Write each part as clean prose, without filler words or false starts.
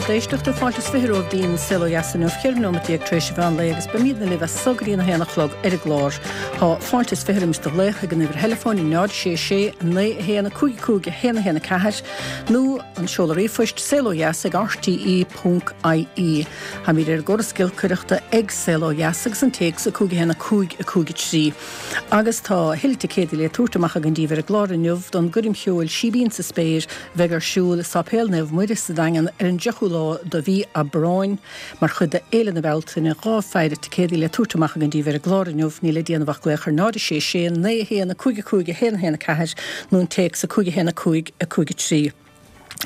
lucht éisteachta, fáilte is 20 romhaibh dtí'n Saol Ó Dheas inniu, 14 nóimeat tar éis an mheán lae agus beimídne libh as so go dtí'n 1 a chlog ar an gclár. Tá fáilte is 20 roimis do ghlaoch ag an uimhir theileafóin 0 6 6 9 1 5 5 1 1 4 nó an seoladh ríomhphoist saolodheas ag rte ponc ie. Táimid ar an gcóras giolcaireachta ag Saol Ó Dheas agus an téacs 5 1 5 5 3. Agus tá a thuilleadh ticéadaí le tabhairt amach againn daoibh ar an gclár inniu don gcoirm cheoil Síbín sa Spéir a bheidh ar siúl i Sáipéal Naomh Muire sa Daingean ar an 10ú lá de mhí Aibreáin mar chuid de Fhéile na Bealtaine. 2 pheidhre ticéadaí le tabhairt amach againn daoibh ar an gclár inniu. Níl le déanamh ach glaoch ar 0 6 6 9 1 5 5 1 1 4 nó an téacs 5 1 5 5 3.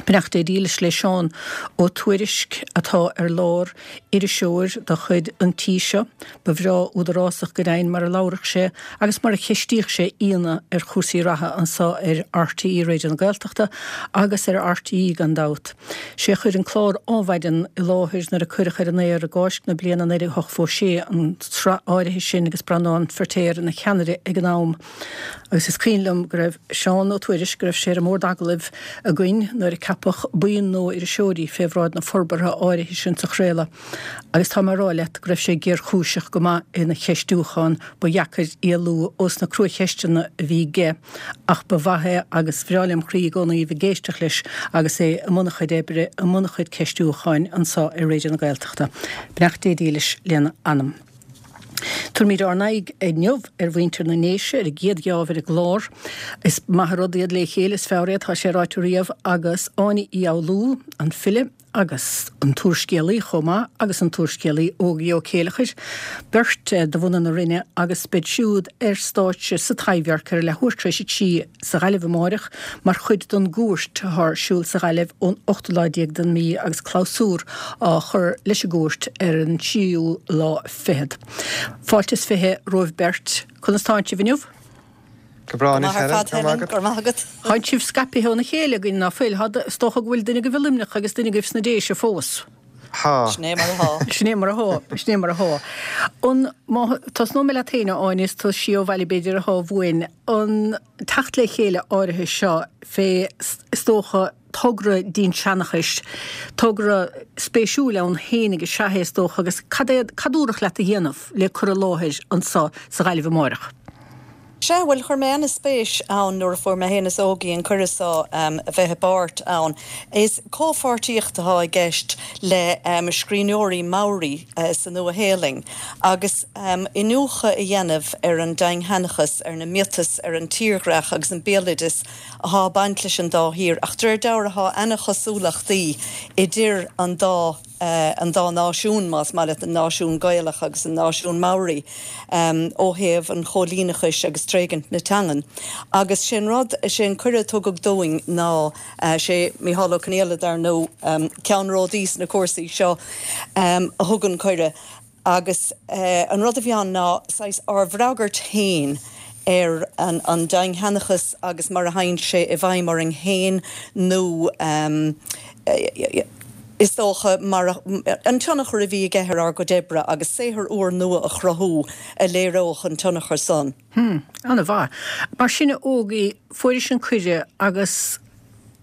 Beannacht Dé dílis le Seán Ó Tuairisg atá ar lár, iriseoir de chuid an tí seo. Ba bhreá údarásach go deimhin mar a labhradh sé agus mar a cheistíodh sé aíonna ar chúrsaí reatha anso ar RTÉ Raidió na Gaeltachta agus ar RTÉ gan dabht. Sé a chuir an clár Ádhmhaidin i láthair nuair a cuireadh ar an aer i gCáisc na bliana 1986 an tsraith áirithe sin agus Breandán Feirtéar ina cheannaire ag an am. Agus is cuimhin liom go raibh Seán Ó Tuairisg, go raibh sé ar an mbord agallaimh againn nuair a ceapadh buíon nua iriseoirí fé bhráid na forbartha áirithe sin sa chraoladh. Agus tá mé a rá leat go raibh sé géarchúiseach go maith ina cheistiúchán, ba dheacair éalú ós na cruacheisteanna a bhí aige ach ba mhaith é agus bhreá lem chroí i gcónaí a bheith ag éisteacht leis agus é i mbun a chuid oibre, i mbun a chuid ceistiúcháin anso ar Raidió na Gaeltachta. Beannacht Dé dílis lena anam. Tabharfaimid ár n-aghaidh inniu ar mhuintir na nDéise ar an gcéad gheábh ar an gclár. Is maith an rud iad le chéile, is fearr é, tá sé ráite riamh, agus Áine Uí Fhoghlú, an file agus an t-úrscéalaí chomh maith, agus an t-úrscéalaí Ógie Ó Céileachair, beirt de bhunadh na Rinne agus beid siúd ar stáitse sa Taibhdhearc ar a leathuair tar éis a 3 sa Ghaillimh amáireach mar chuid den gCuairt atá ar siúl sa Ghaillimh ón ochtú lá déag den mí agus clabhsúr á chur leis an gCuairt ar an tríú lá fichead. Fáilte is 20 romhaibh beirt. Conas tánn sibh inniu? Go breá anois, Helen. Go raibh maith agat. Go raibh maith agat. Tánn sibh scaipithe óna chéile againn, ná fuil? Is dócha go bhfuil duine agaibh i Luimneach agus duine agaibh sna Déise fós. Thá. Sin é mar athá. Sin é mar athá. Sin é mar athá. An, má, tosnóidh mé leat féin, a Áine, is tú sí ó bhaile b'fhéidir athá uainn. An teacht le chéile áirithe seo fé, is dócha, togra dinnseanchais, togra spéisiúil ann fhéinig is ea é, is dócha, agus cad é, cad dúradh leat a dhéanamh le cur i láthair anso sa Ghaillimh amáireach? Sea, bhuel, chuir mé ana-spéis ann nuair a fuair mé féin is Ógie an cuireadh so a bheith i bpáirt ann. Is comhpháirtíocht atá i gceist le scríbhneoirí Maori sa Nua-Shéalainn agus iniúchadh a dhéanamh ar an dinnseanchas, ar na miotais, ar an tírdhreach agus an béaloideas athá ag baint leis an dá thír. Ach de réir dealraimh thá ana-chosúlachtaí idir an dá an dá náisiún, más maith leat, an náisiún Gaelach agus an náisiún Maori, ó thaobh an chóilíneachais agus tréigint na teangan. Agus sé an rud, sé an cuireadh a tugadh dúinn ná, sé Mícheál Ó Conghaile, dar ndóigh, ceannródaí sna cúrsaí seo, a thug an cuireadh. Agus an rud a bhí ann ná saghas ár bhfreagairt féin ar an dinnseanchas agus mar a théann sé i bhfeidhm orainn féin nó is dócha mar an tionchar a bhí aige ar ár gcuid oibre agus saothar úrnua a chruthú a léireodh an tionchar san. Hm, an-mhaith. Mar sin a Ógie, fuairis an cuireadh agus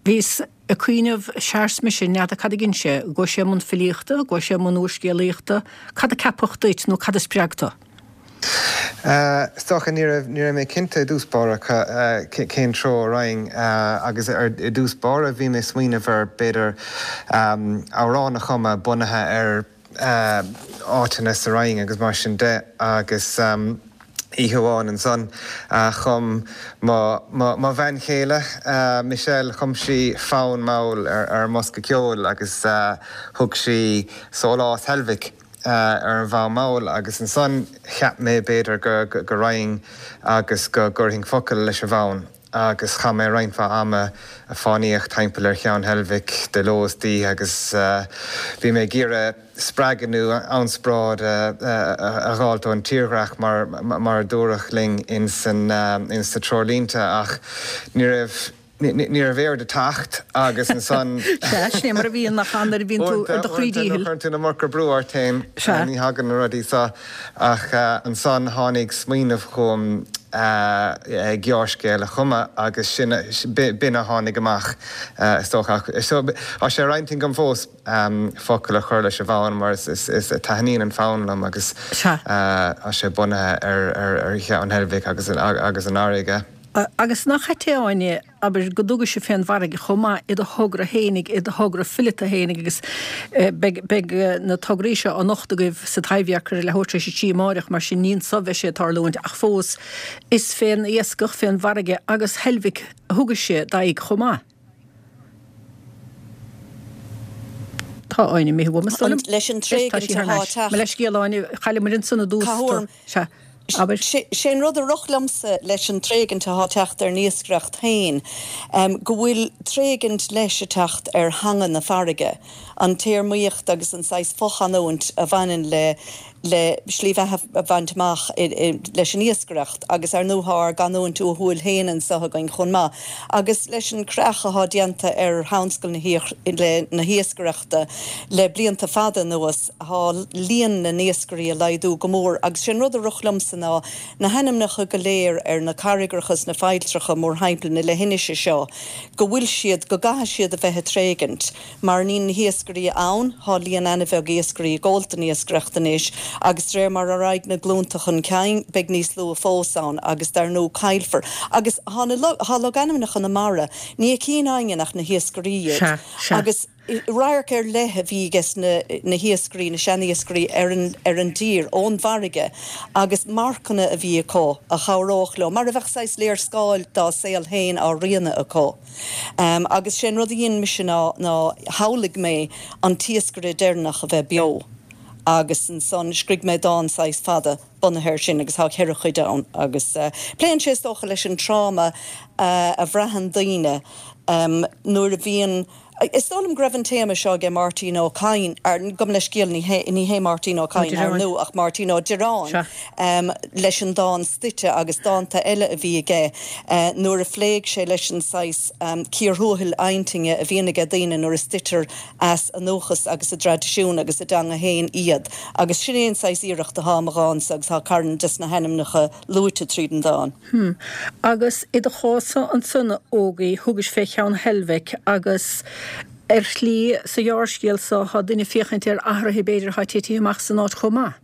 bhíos ag cuimhneamh, sea arsa mise, n'fheadar cad a dhein sé, an gcuaigh sé i mbun filíochta, an gcuaigh sé i mbun úrscéalaíochta, cad a ceapadh duit nó cad a spreag tú? Is dócha, ní raibh, ní raibh mé cinnte i dtús báire cén treo a raghainn agus i dtús báire bhí mé ag smaoineamh ar b'fhéidir amhrán a chumadh bunaithe ar áiteanna sa Rinn agus mar sin de agus oíche amháin ansan chum mo mo bhean chéile Michelle, chum sí fonn mall ar ar an mbosca ceoil agus thug sí Sólás Heilbhic ar an bhfonn mall agus ansan cheap mé b'fhéidir go go raghainn agus go gcuirfinn focail leis an bhfonn. agus chaith mé roinnt mhaith ama ag fánaíocht timpeall ar Cheann Heilbhic de ló is d'oíche agus bhí mé ag iarraidh spreagadh nó ionspráid a dh'fháilt ón tírdhreach mar mar a dúradh linn ins na treoirlínte ach ní raibh ní raibh aird ag teacht agus ansan Sea, sin é mar a bhíonn nach ea nuair a bhíonn tú ar do chroí díchill. Uaireanta nuair a chuireann tú an iomarca brú ort féin ní thagann na rudaí seo ach ansan tháinig smaoineamh chugam. Gearrscéal a chumadh agus sin, b'in a tháinig amach is dócha. Ach tá sé ar intinn agam fós focal a chur leis an bhfonn mar is taitníonn an fonn liom agus tá sé bunaithe ar Cheann Heilbhic agus an fharraige. Agus nach ait é, a Áine, abair, go dtugaise fén bhfarraige chomh maith i do thogra fhéinig, i do thogra fileata fhéinig agus beidh, beidh na tograí seo á nochtadh agaibh sa Taibhdhearc ar a leathuair tar éis a trí amáireach, mar sin ní anso bheidh sé ag tarlúint ach fós is fén iascach, fén bhfarraige agus Heilbhic a thugaise d'aghaidh chomh maith. Tá Áine imithe uaim, is dóigh liom. Leis an Tá tréigint sí thar atá n-ais. teacht. Mo leithscéal, a Áine, chailleamair ansan i dtús. Cá huair? Sea. Abair. Sé an rud a rith liomsa leis an tréigint atá teacht ar an iascaireacht féin, go bhfuil tréigint leis ag teacht ar theanga na farraige, an téarmaíocht agus an saghas fochanúint a bhaineann le le slí bheatha a bhaint amach leis an iascaireacht agus ar ndóigh tá ár gcanúint uathúil féin anso againn chomh maith agus leis an creach atá déanta ar thionscal na hiascaireachta le blianta fada anuas. Tá líon na n-iascairí ag laghdú go mór agus sé an rud a rith liomsa ná na hainmneacha go léir ar na carraigreacha is na failltreacha mórthimpeall na leithinise seo go bhfuil siad, go gcaithfidh siad a bheith ag tréigint mar níl na hiascairí ann, tá líon ana-bheag iascairí ag gabháilt don iascaireacht anois agus de réir mar a raghaidh na glúnta chun cinn beidh níos lú fós ann agus dar ndóigh caillfear agus tá na, tá logainmneacha na mara, ní fheiceann éinne ach na hiascairí iad Sea, sea. agus. Radharc ar leith a bhí ages na hiascairí, na seaniascairí ar an ar an dtír ón bhfarraige agus marcanna a bhí acu a chabhródh leo, mar a bheadh saghas léarscáil dá saol féin á rianadh acu. Agus sé an rud a dhein mise ná ná shamhlaigh mé an t-iascaire deireanach a bheith beo agus ansan scrígh mé dán saghas fada bunaithe air sin agus tá cheithre chuid ann agus pléann sé is dócha leis an tráma a bhraitheann daoine nuair a bhíonn Is dóigh liom go raibh an téama seo aige Máirtín Ó Cadhain, gabh mo leithscéal, ní hé, ní hé Máirtín Ó Cadhain, ar ndóigh, ach Máirtín Ó Direáin, leis an dán 'Stoite' agus dánta eile a bhí aige nuair a phléigh sé leis an saghas cíor thuathail intinne a bhíonn aige daoine nuair a stoitear as a ndúchas agus a dtraidisiún agus a dteanga féin iad. Agus sin é an saghas iarracht atá i mo dhánsa agus tá carn des na hainmneacha luaite tríd an dán. Hm. Agus i do chás-sa ansan, a Ógie, thugais fé Cheann Heilbhic agus ar shlí, sa ghearrscéal so, tá duine ag féachaint ar athruithe b'fhéidir atá titithe amach san áit chomh maith.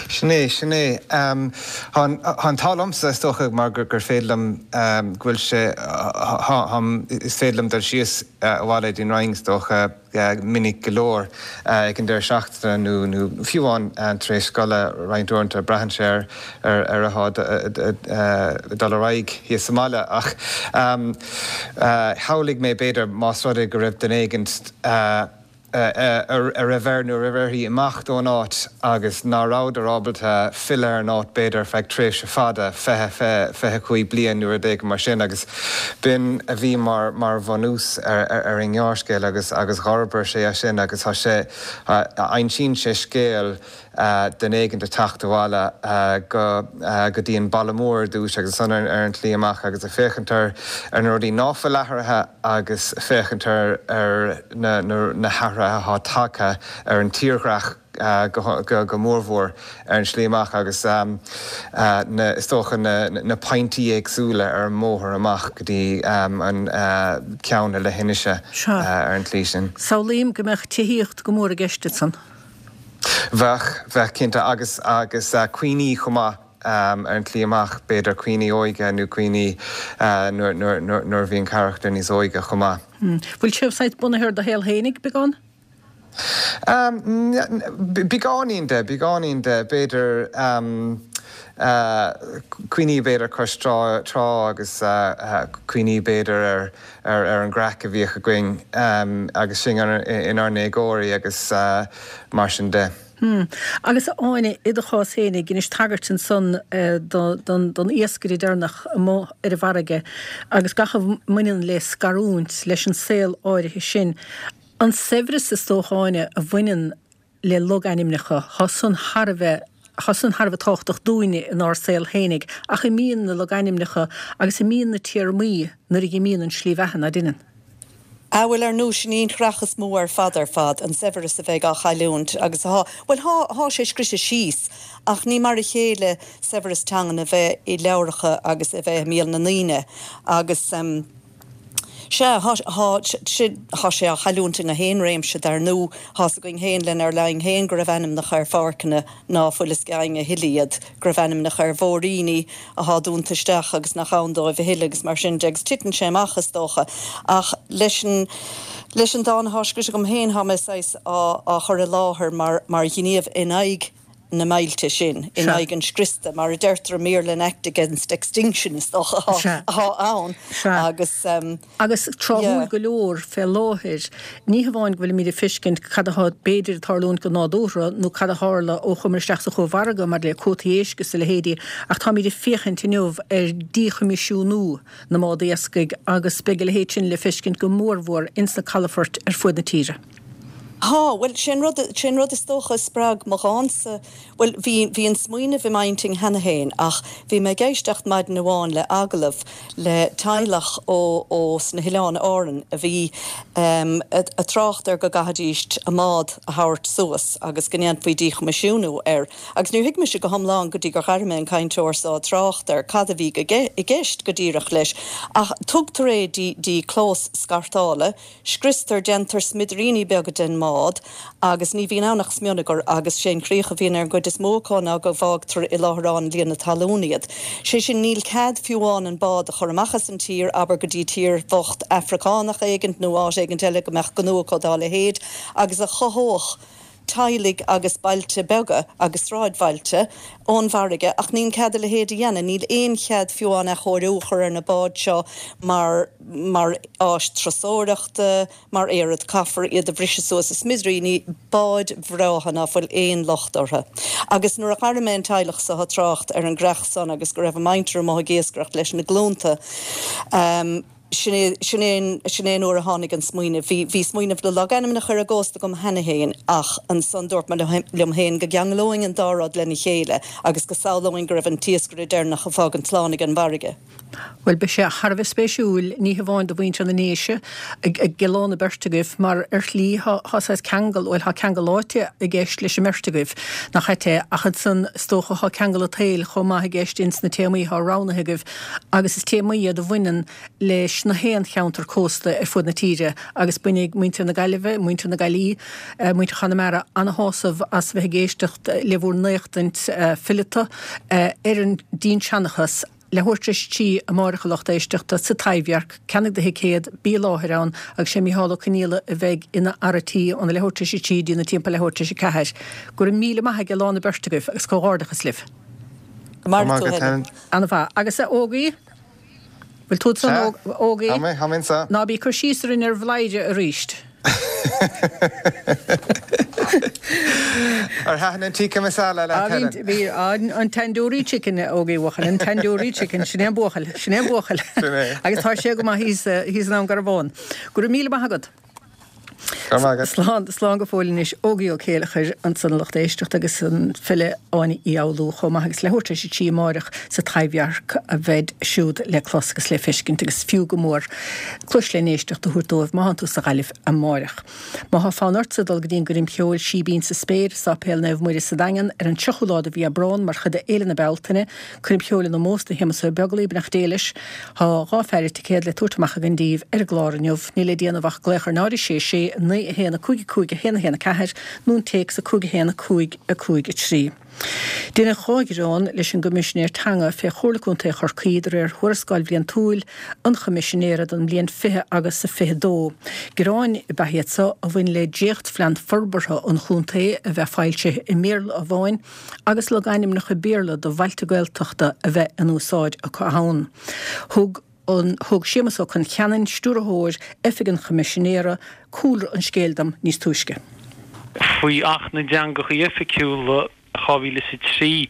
Sin é, sin é. Tá an t-ádh liomsa, is dócha, mar gur féidir liom, go bhfuil sé, is féidir liom dul síos abhaile dtí'n Rinn, is dócha, minic go leor ag an deireadh seachtaine nó nó fiú amháin tar éis scoile roinnt uaireanta, braitheann sé ar ar atá ag dul ar aghaidh thíos sa mbaile. Ach shamhlaigh mé b'fhéidir más rud é go raibh duine éigint a raibh air nó a raibh uirthi imeacht ón áit agus ná rabhadar ábalta filleadh ar an áit b'fhéidir ar feadh tréimhse fada, 20, 25 bliain nó rud éigin mar sin agus B'in a bhí mar mar bhunús ar an ngearrscéal agus agus dh'fhorbair sé as sin agus tá sé, insíonn sé scéal duine éigint ag teacht abhaile go go dtí an baile mór ar dtús agus ansan ar an tslí amach agus ag féachaint ar ar na rudaí ná fuil athraithe agus féachaint ar ar na na hathruithe atá tagtha ar an tírdhreach. go mórmhór ar an slí amach agus na, is dócha, na pointí éagsúla ar an mbóthar amach go dtí an ceann na leithinise ar an tslí sin. Samhlaím go mbeadh tithíocht go mór i gceist ansan. Bheadh, bheadh cinnte agus, agus cuimhní chomh maith ar an tslí amach, b'fhéidir cuimhní óige nó cuimhní nuair a bhí an carachtar níos óige chomh maith. Bhfuil sé saghas bunaithe ar do shaol fhéinig, beagán? Beagáinín de, beagáinín de, b'fhéidir cuimhní b'fhéidir cois trá agus cuimhní b'fhéidir ar ar an gcraic a bhíodh againn agus sinn inár ndéagóirí agus mar sin de. Hmm. Agus a Áine, i do chás fhéinig, dheinis tagairt ansan don iascaire deireanach amuigh ar an bhfarraige agus gach a mbaineann le scarúint, leis an saol áirithe sin. An saibhreas, is dócha, Áine, a bhaineann le logainmneacha, thá san thar a bheith, thá san thar a bheith tábhachtach dúinne inár saol fhéinig, ach imíonn na logainmneacha agus imíonn na téarmaí nuair a dh'imíonn an slí bheatha, ná deineann? Ah bhuel ar ndú sin í an chreach is mó ar fad ar fad, an saibhreas a bheidh á chailliúint agus athá, bhuel thá, thá sé scrite síos ach ní mar a chéile saibhreas teangan a bheith i leabhracha agus a bheith i mbéal na ndaoine agus em sea, thá, thá sé, thá sé á chailliúint i ngach aon réimse dar ndú, thá's againn féin lenár linn féin go raibh ainmneacha ar pháirceanna ná fuil fhios ag éinne a thuilleadh iad, go raibh ainmneacha ar bhóithríní athá dúnta isteach agus nach ann dóibh a thuilleadh agus mar sin de agus titeann sé amach is dócha. Ach leis an leis an dán athá scrite agam féin thá mé saghas á á chur i láthair mar mar ghníomh in aghaidh na meilte sin, in aghaidh an scriosta, mar a deirtear i mBéarla an act against extinction is dócha athá athá ann agus. Agus tráthúil go leor fé láthair, ní hamháin go bhfuilimid ag feiscint cad athá b'fhéidir ag tarlúint go nádúrtha nó cad a tharla ó chuamar isteach sa chómhargadh maidir le cuótaí éisc is a leithéidí, ach táimid ag féachaint inniu ar díchoimisiúnú na mbád iascaigh agus beidh a leithéid sin le feiscint go mórmhór ins na calafoirt ar fuaid na tíre. Tá, bhuel, sé an rud, sé an rud is dócha a spreag mo dhánsa, bhuel, bhí, bhí an smaoineamh i m'intinn cheana féin ach bhí mé ag éisteacht maidin amháin le agallamh le teaghlach ó, ó sna hOileáin Árann a bhí em a' trácht ar go gcaithfidíst a mbád a thabhairt suas agus go ndéanfaí díchoimisiúnú air agus níor thuig mise go hiomlán go dtí gur dh'airigh mé an cainteoir so ag trácht ar cad a bhí go, i gceist go díreach leis ach tugtar é dtí, dtí clós scartála Scriostar, déantar smidiríní beaga den mbád agus ní bhíonn ann ach smionagar agus sé an chríoch a bhíonn ar an gcuid is mó acu ná go bhfágtar i láithreán líonadh talún iad. Sé sin, níl cead fiú amháin an bád a chur amach as an tír, abair go dtí tír bhocht Afracánach éigint nó áit éigint eile go mbeadh gnó acu dá leithéid agus a chothódh teaghlaigh agus bailte beaga agus sráidbhailte ón bhfarraige ach níl cead a leithéid a dhéanamh. Níl aon chead fiú amháin athchóiriú a chur ar na báid seo mar mar áis turasóireachta, mar aoraid. Caithfear iad a bhriseadh suas i smidiríní, báid bhreátha ná fuil aon locht orthu. Agus nuair a dh'airigh mé an teaghlach so ag trácht ar an gcreach san agus go raibh a muintir amuigh ag iascaireacht leis na glúnta, Sin é, sin é an, sin é an uair a tháinig an smaoineamh. Bhí, bhí smaoineamh na logainmneacha ar an gcósta agam cheana féin ach ansan dúirt mé liom féin go gceanglóinn an dá rud lena chéile agus go samhlóinn go raibh an t-iascaire deireanach ag fágaint slán ag an bhfarraige. Bhuel, beidh sé thar a bheith spéisiúil, ní hamháin do mhuintir na nDéise, ag oileán na beirt agaibh, mar ar shlí thá, thá saghas ceangal, bhuel, thá ceangal áite i gceist leis an mbeirt agaibh, nach ait é, ach ansan is dócha thá ceangal an tsaoil chomh maith i gceist ins na téamaí thá roghnaithe agaibh agus is téamaí iad a bhaineann leis na haon cheantar cósta ar fud na tíre agus bainfidh muintir na Gaillimhe, muintir na Gaillí, muintir Chonamara ana-shásamh as bheith ag éisteacht le bhur n-éachtaint fileata ar an dinnseanchas. Leathuair tar éis a 3 amáireach a lucht éisteachta sa Taibhdhearc, ceannaigh do thicéad, bí i láthair ann agus sé Mícheál Ó Conghaile a bheidh ina fhear a' tí óna leathuair tar éis a 3 dtí na timpeall leathuair tar éis a 4. Go raibh míle maith ag lán na beirt agaibh agus comhghairdeachas libh. Go maire tú, Helen. Ana-mhaith. Agus a Ógaí? Bhfuil tú ansan, Sea. Ógaí? Tá mé, tá mé anso. Ná bí ag cur síos orainn ar Bhladhaire aríst. Ar thaitin an tikka masala leat, Helen? Bhí, bhí. An tandoori chicken, a Ógaí bhuachaill, an tandoori chicken. Sin é an buachaill, sin é an buachaill. Sin é. Agus tá sé go maith thíos, thíos i nDún Garbhán. Go raibh míle maith agat. Go raibh maith agat. Slán, slán go fóill anois. Ógaí Ó Céileachair ansan a lucht éisteachta agus an file Áine Uí Fhoghlú chomh maith agus leathuair tar éis a 3 amáireach sa Taibhdhearc a bheid siúd le clos agus le feiscint agus fiú go mór cluais len éisteacht a thabhairt dóibh má thánn tú sa Ghaillimh amáireach. Má thá fonn ortsa dul go dtí an gcoirm cheoil Síbín sa Spéir i Sáipéal Naomh Muire sa Daingean ar an 30ú lá de mhí Aibreán mar chuid de Fhéile na Bealtaine, coirm cheoil in ómós do Shéamus Ó Beaglaoi, beannacht Dé leis. Tá 2 pheidhre ticéad le tabhairt amach againn daoibh ar an gclár inniu. Níl le déanamh ach glaoch ar 0 6 6 9 1 5 5 1 1 4 nó an téacs 5 1 5 5 3. Deineadh 2 ghearán leis an gCoimisinéir Teanga fé Chomhairle Contae Chorcaí de réir Thuarascáil Bhliantúil an Choimisinéara don mbliain 20 agus 22. Gearáin ab ea iad seo a bhain le dréachtphlean forbartha an chontae a bheith foilsithe i mBéarla amháin agus logainmneacha Béarla do bhailte Gaeltachta a bheith in úsáid acu ann. Thug an Thug Séamus Ó Con Cheanainn, Stiúrthóir Oifig an Choimisinéara, cúlra an scéil dom níos túisce. Faoi Acht na dTeangacha Oifigiúla, 2003,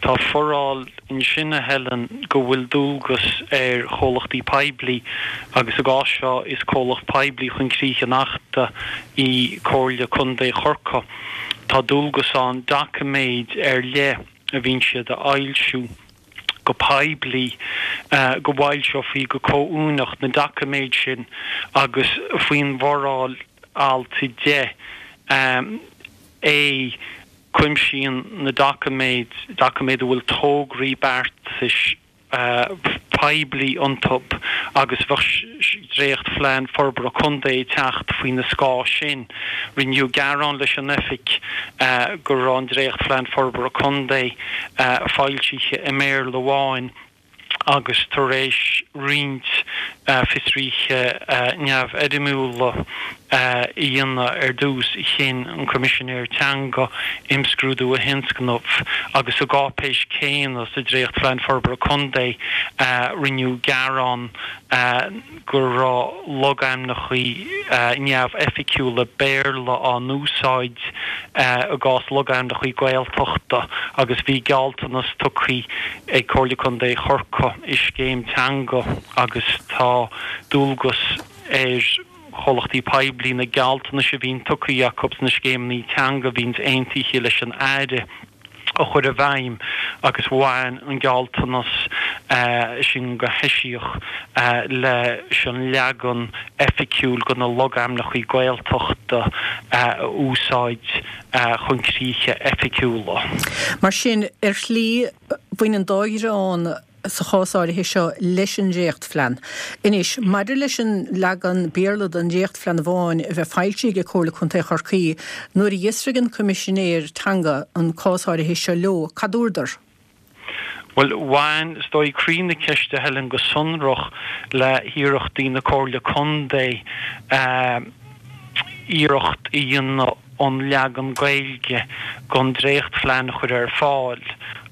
tá foráil ansin, a Helen, go bhfuil dualgas ar chomhlachtaí poiblí, agus i gcás seo is comhlacht poiblí chun críche an Achta í Comhairle Contae Chorcaí, tá dualgas ann doiciméid ar leith a bhíonn siad a fhoilsiú go poiblí. Go bhfoilseofaí go comhuaineach na doiciméid sin agus faoin bhforáil alt 10, A, cuimsíonn na doiciméid doiciméid a bhfuil tograí beartais poiblí iontu agus bheadh dréachtphlean forbartha contae ag teacht faoina scáth sin. Rinneadh gearán leis an Oifig go raibh an dréachtphlean forbartha contae foilsithe i mBéarla amháin agus tar éis roinnt fiosruithe neamhfhoirmiúla a dhéanamh ar dtús, chinn an Coimisinéir Teanga imscrúdú a thionscnamh agus sa gcáipéis céanna, sa Dréachtphlean Forbartha Contae, rinneadh gearán go raibh logainmneacha neamhoifigiúla Béarla á n-úsáid i gcás logainmneacha Gaeltachta agus bhí gealltanas tugtha ag Comhairle Contae Chorcaí i scéim teanga agus tá dualgas ar chomhlachtaí poiblí na gealltanais a bhíonn tugtha acu sna scéimeanna teanga a bhíonns aontaithe leis an Aire a chur i bhfeidhm agus bhain an gealltanas sin go heisiach leis an leagan oifigiúil de na logainmneacha Gaeltachta a úsáid chun críche oifigiúla. Mar sin, ar shlí, bhain an dá ghearán sa chás áirithe seo leis an dréachtphlean. Anois, maidir leis an leagan Béarla den dréachtphlean amháin a bheith foilsithe ag Comhairle Contae Chorcaí, nuair a d'fhiosraigh an Coimisinéir Teanga an cás áirithe seo leo, cad dúradar? Bhuel, bhain, is dóigh, croí na ceiste, a Helen, go sonrach le hiarrachtaí na Comhairle Contae iarracht a dhéanamh an leagan Gaeilge den dréachtphlean a chur ar fáil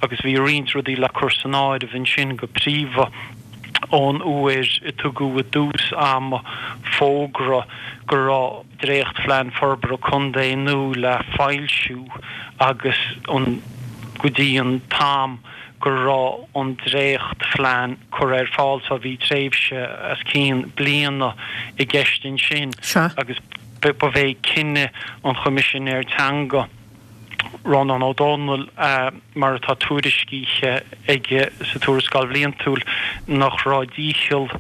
agus bhí roinnt rudaí le cur san áireamh ansin, go príomha ón uair a tugadh i dtús ama fógra go raibh dréachtphlean forbartha contae nua le foilsiú agus an go dtí an t-am go raibh an dréachtphlean curtha ar fáil so bhí tréimhse os cionn bliana i gceist ansin agus ba é cinneadh an Choimisinéir Teanga, Rónán Ó Domhnaill, mar atá tuairiscithe aige sa Tuarascáil Bhliantúil, nach raibh dícheall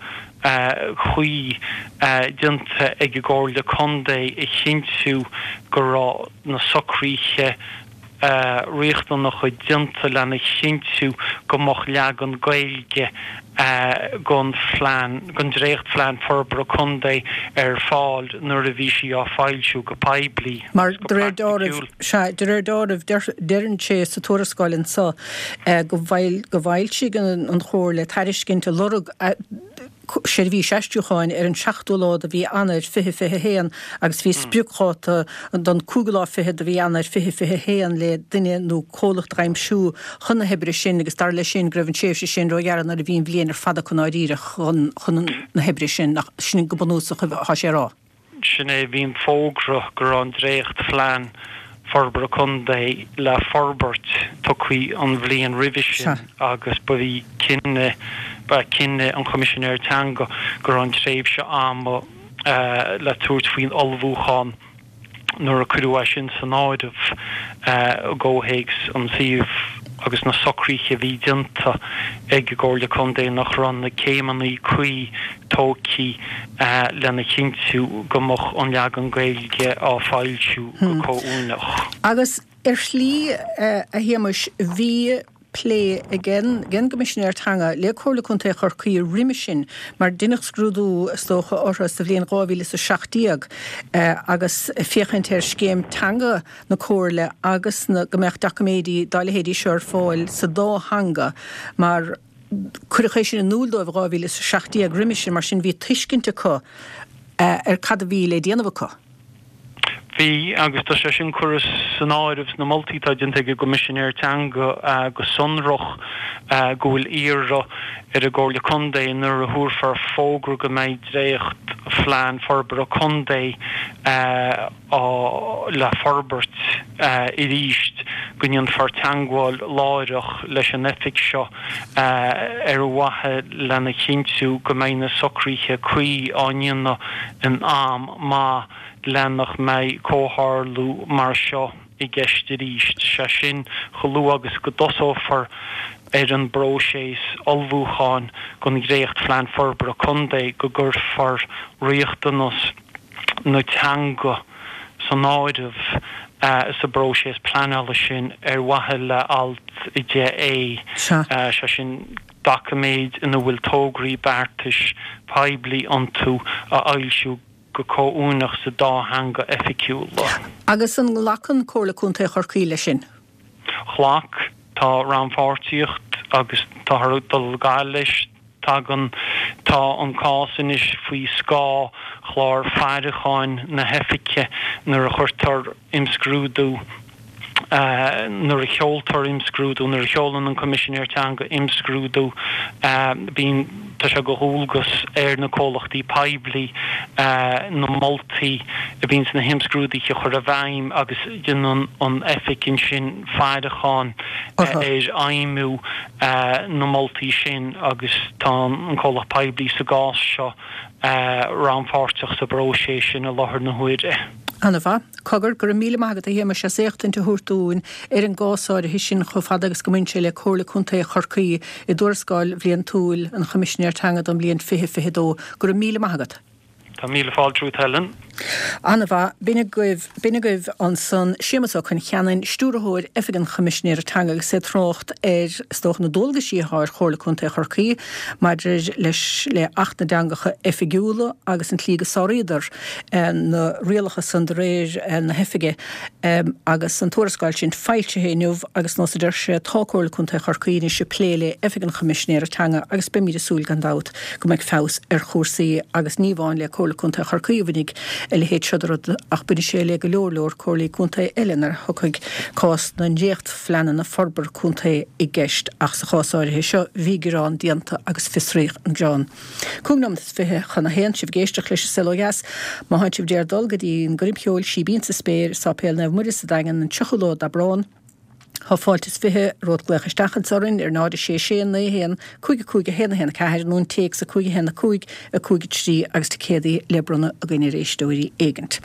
cuí déanta ag an gComhairle Contae a chinntiú go raibh na socruithe riachtanacha déanta lena chinntiú go mbeadh leagan Gaeilge den phlean, den dréachtphlean forbartha contae ar fáil nuair a bhí sí á foilsiú go poiblí Mar de réir dealraimh, sea, de réir dealraimh, deireann sé sa tuarascáil anso go bhfoilsigh an Chomhairle tairiscint ag lorg seirbhís aistriúcháin ar an seachtú lá de mhí Eanáir 2021 agus bhí spriocdháta don cúigiú lá fichead de mhí Eanáir 2021 le duine nó comhlacht a aimsiú chun na hoibre sin agus dar leis sin go raibh an tréimhse sin róghearr nuair a bhí an bhliain ar fad acu i ndáiríre chun na hoibre sin, nach sin go bunúsach atá sé a rá. Sin é, bhí an fógra go raibh an dréachtphlean forbartha contae le forbairt tugtha an bhliain roimhe sin agus ba í cinneadh, ba é cinneadh an Choimisinéir Teanga go raibh an tréimhse ama le tabhairt faoin ullmhúchán nuair a cuireadh é sin san áireamh i gcomhthéacs an tsuímh agus na socruithe a bhí déanta ag an gComhairle Contae nach raibh na céimeanna cuí tógtha lena chinntiú go mbeadh an leagan Gaeilge á foilsiú go comhuaineach. Agus ar shlí, a Shéamais, bhí plé ag an gCoimisinéir Teanga le Comhairle Contae Chorcaí roimhe sin mar deineadh scrúdú, is dócha, orthu sa bhliain 2017 agus féachaint ar scéim teanga na Comhairle agus go mbeadh doiciméidí dá leithéidí seo ar fáil sa dá theanga mar Cuireadh é sin in iúl dóibh i 2017 roimhe sin, mar sin bhí tuiscint acu ar cad a bhí le déanamh acu. Bhí, agus tá sé sin curtha san áireamh sna moltaí atá déanta ag an gCoimisinéir Teanga go sonrach go bhfuil iarraidh ar an gComhairle Contae nuair a thabharfar fógra go mbeidh dréacht-phlean forbartha contae á le forbairt arís go ndéanfar teagmháil láithreach leis an oifig seo ar mhaithe lena chinntiú go mbeidh na socruithe cuí á ndéanamh in am maith le nach mbeidh comhtharlú mar seo i gceist arís. Sé sin, chomh luath agus go dtosófar. ar an bpróiseas ullmhúcháin don Dhréacht-Phlean Forbartha Contae go gcuirfear riachtanas na teanga san áireamh sa bpróiseas pleanála sin ar mhaithe le Alt 10A, sé sin doiciméid ina bhfuil tograí beartais poiblí iontu a fhoilsiú go comhuaineach sa dá theanga oifigiúla. Agus an nglacann Comhairle Contae Chorcaí leis sin? Ghlac. Tá rannpháirtíocht agus táthar ag dul ar aghaidh leis. Tagann Tá an cás anois faoi scáth chlár faireacháin na hOifige nuair a chuirtear imscrúdú, nuair a sheoltar imscrúdú, nuair a sheolann an Coimisinéir Teanga imscrúdú, bíonn, tá sé de dhualgas ar na comhlachtaí poiblí na moltaí a bhíonn sna himscrúduithe a chur i bhfeidhm agus déanann an Oifig ansin faireachán ar fheidhmiú na moltaí sin agus tá an comhlacht poiblí sa gcás seo rannpháirteach sa bpróiseas sin i láthair na huaire. Ana-mhaith. Cogar, go raibh míle maith agat a Shéamais as éachtaint a thabhairt dúinn ar an gcás áirithe sin chomh fada agus go mbaineann sé le Comhairle Contae Chorcaí i dTuarascáil Bhliantúil an Choimisinéir Teanga don bhliain 2022. Go raibh míle maith agat. Tá míle fáilte romhat Helen. Ana-mhaith. B'in agaibh, b'in agaibh ansan Séamus Ó Concheanainn, Stiúrthóir Oifig an Choimisinéara Teanga agus é ag trácht ar, is dócha, na dualgaisí atá ar Chomhairle Contae Chorcaí maidir leis, le Acht na dTeangacha Oifigiúla agus an tslí go sáraíodar na rialacha san de réir na hOifige agus an tuarascáil sin foilsithe inniu agus nós a deir sé tá Comhairle Contae Chorcaí anois ag plé le Oifig an Choimisinéara Teanga agus beimid ag súil gan dabht go mbeidh feabhas ar chúrsaí agus ní amháin le Comhairle Contae Chorcaí a bhainfidh a leithéid seo de rud ach bainfidh sé le go leor leor Comhairlí Contae eile nuair a thiocfaidh cás na ndréachtphleananna forbartha contae i gceist ach sa chás áirithe seo bhí gearán déanta agus fiosraíodh an gearán. 25 nóiméad chun a haon, sibh ag éisteacht leis an Saol Ó Dheas. Má thánn sibh d'iarraidh dul go dtí an gcoirm cheoil Síbín sa Spéir i Sáipéal Naomh Muire sa Daingean an 30ú lá d'Aibreán, Tá fáilte is 20 romhat glaoch isteach anso orainn ar 0 6 6 9 1 5 5 1 1 4 nó an téacs 5 1 5 5 3 agus ticéadaí le bronnadh againn ar éisteoirí éigint.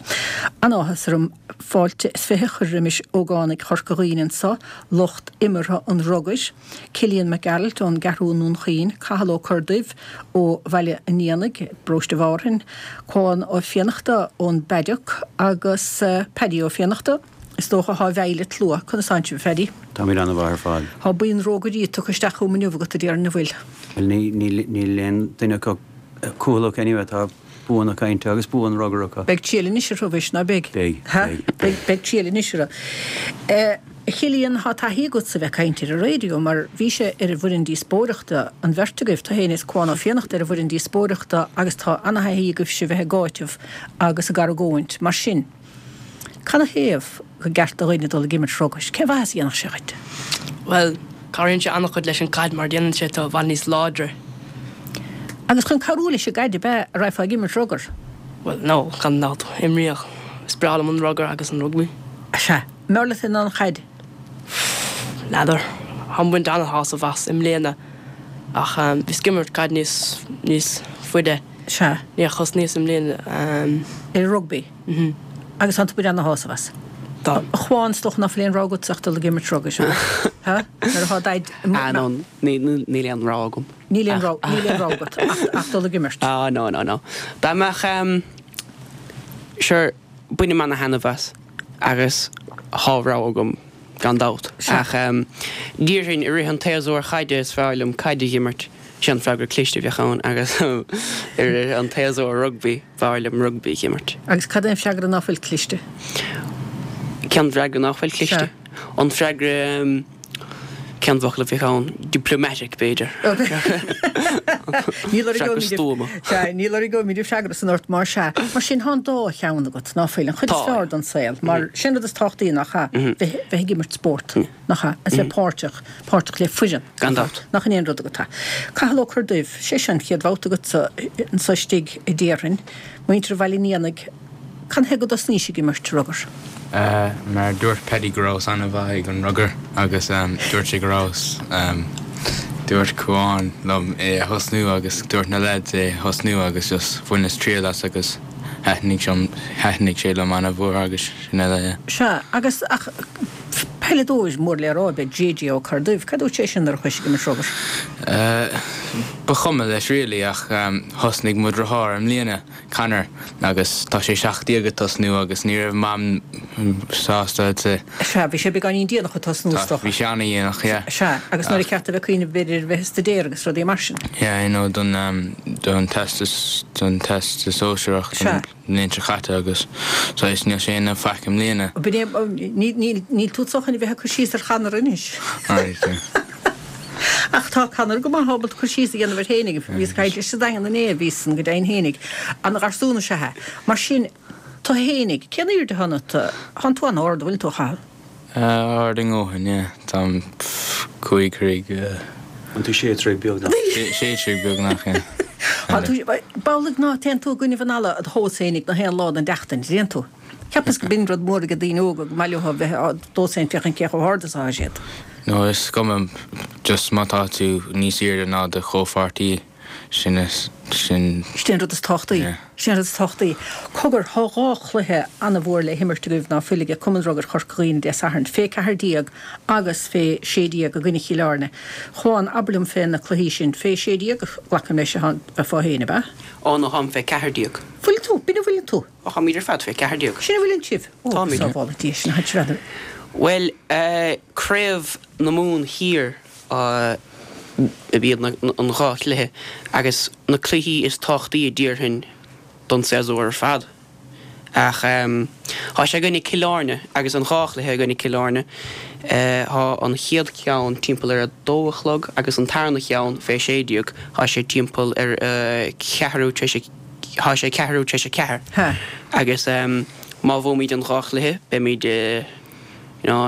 An-áthas orm fáilte is 20 a chur roimis ógánaigh Chorca Dhuibhne anso, lucht imeartha an rugair, Cillian Mac Gearailt ón gCeathrú i nDún Chaoin, Cathal Ó Corrduibh ó Bhaile an Éanaigh, bParóiste Mhárthain, Cuán Ó Fiannachta ón bPaddock agus Paddy Ó Fiannachta, Is dócha thá i bhfeighil an tslua. Conas tánn sibh, a Phaddy? Táimid ana-mhaith ar fad. Thá buíon rógairí tugtha isteach chugam inniu agat, a déarfainn, an bhfuil? Bhuel, níl aon duine acu cúthaileach anyway, tá bua na cainte agus bua an rugair acu. Beidh triail anois orthu, mhuis, ná beidh? Beidh, beidh. Beidh triail anois orthu. A Chillian, thá taithí agatsa bheith ag caint ar an raidió, mar bhís ar an bhfoireann díospóireachta, an bheirt agaibh, tú féin is Cuán Ó Fiannachta ar an bhfoireann díospóireachta agus tá ana-thaithí agaibhse bheith ag áiteamh agus ag argóint. Mar sin. Canathaobh gur ceart do dhuine dul ag imirt rugair? Cén mhaitheas a dhéanfadh sé dhuit? Bhuel, cabhraíonn sé an-chuid leis an gcaid mar déanann sé tú i bhfad níos láidre. Agus chun cabhrú leis an gcaid ab ea a raghfá ag imirt rugar? Bhuel, no, gan dabht. Imríodh. Is breá liom an rugar agus an rugbaí. Sea. Mb'fhearr leat ná an chaid? N'fheadar. Táim ag baint an-shásamh as i mbliana ach bhíos ag imirt caid níos, níos faide. Sea. Níor thosnaíos i mbliana. Ar rugbaí? Mhm. Agus tánn tú ag baint ana-shásamh as? Tá. A Chuáin, is dócha ná fuil aon rogha agatsa ach dul ag imirt rugair, ha? Nuair atá Daid. Ah, no, níl aon rogha agam. Níl aon rogha, níl aon rogha agat ach, ach dul ag imirt. Ah, no, no, no. Dá mbeadh, em, sure, bainim ana-thaitneamh as agus thá rogha agam gan dabht. Ach, em, déarfainn i rith an tséasúir chaide is fearr liom caid a dh'imirt. Sé an freagra cliste a bheadh ann agus i rith an tséasúir rugbaí. B'fhearr liom rugbaí a dh'imirt. Agus cad é an freagra ná fuil cliste? Cén freagra ná fuil cliste? Sea. An freagra, cén focal a bheadh ann? Diplomatic, b'fhéidir. Níl orainn Freagra stuama. Sea, níl orainn go mbíonn freagra san ort mar sea. Mar sin, tá an dá cheann agat, ná fuil? An chuid is Tá. fearr den saol, mar sin rud is tábhachtaí, nach ea? Bheith, bheith ag imirt spórt, nach ea? Agus bheith páirteach, páirteach le foireann. Gan dabht. Nach in é an rud agat? Cathal Ó Corrduibh, sé seo an chéad bhabhta agatsa anso istigh a déarfainn. Muintir Bhaile an Éanaigh, canathaobh go dtosnaís ag imirt rugar? Mar dúirt Paddy go rabhas an-mhaith ag an rugar agus dúirt sé go rabhas, dúirt Cuán liom é a thosnú agus dúirt na lads é a thosnú agus just bhaineas triail as agus thaitnigh sé liom an-mhór agus sin uile, yeah. Sea, agus ach. Peileadóir mór le rá ab ea JJ Ó Corrduibh. Cad dúirt sé sin nuair a chuaigh sibh ag imirt rugair? Ba chuma leis really ach thosnaigh mo dhriotháir i mbliana, Conor, agus tá sé 17 ag tosnú agus ní raibh Mam sásta I'd say. Sea, bhí sé beagáinín déanach ag tosnú is dócha. Bhí sé ana-dhéanach, yeah. Sea, agus nuair a cheart a bheith ag cuimhneamh b'fhéidir ar bheith ag staidéar agus rudaí mar sin. Yeah, you know, don don teastas don teastas sóisearach don bhliain seo caite agus saghas níl sé ina faic i mbliana. B'in é, níl tú chun a bheith ag cur síos ar Chonor anois. Alright, yeah. Ach tá Conor go maith ábalta cur síos a dhéanamh air fhéinig. Bhíos ag caint leis sa Daingean inné, bhíos san go deimhin fhéinig. Ana-gharsún is ea é. Mar sin, tú fhéinig, cén aoirde atá ionat? Tánn tú an-ard, an bhfuileann tú, a Chathail? Ard a ndóthain, yeah. Táim 5 throigh. An tú sé troigh beagnach? Sé troigh beagnach, yeah. Tá tú, b'amhlaidh ná téann tú i gcoinnibh an fhalla id thomhas fhéinig nach aon lá den tseachtain, dtéann tú? Cheapas go b'in rud mór ag daoine óga go maith leo a bheith á dtomhas féin féachaint cé chomh hard is atá siad. No, is cuma, just má tá tú níos aoirde ná do chomhpháirtí. Sin is, sin. Sin an rud is tábhachtaí. Yeah. Sin an rud is tábhachtaí. Cogar, thá dhá chluiche ana-mhór le himirt agaibh ná fuil ag Cumann Rugair Chorca Dhuibhne Dé Sathairn, fé 14 agus fé 16 i gcoinne Chill Airne. Chuán, abair liom fé na cluichí sin. Fé 16, glacaim leis, a bheifeá féin, ab ea? Ó no, tháim fé 14. Fuil tú? B'in a bhfuileann tú? Ó, tháimid ar fad fé 14. Sin a bhfuileann sibh? Ó, Táimid. sábhála Dia sin, a thit Bhuel, eh, Craobh na Mumhan Thiar. ab iad an dhá chluiche agus na cluichí is tábhachtaí a déarfainn don séasúr ar fad. Ach tá sé i gcoinne Cill Airne agus an dhá chluiche i gcoinne Cill Airne. Tá an chéad cheann timpeall ar a dó a chlog agus an tarna cheann fé 16 tá sé timpeall ar a ceathrú tar éis tá sé ceathrú tar éis a ceathair agus má bhuaimid an dhá chluiche beimid You know,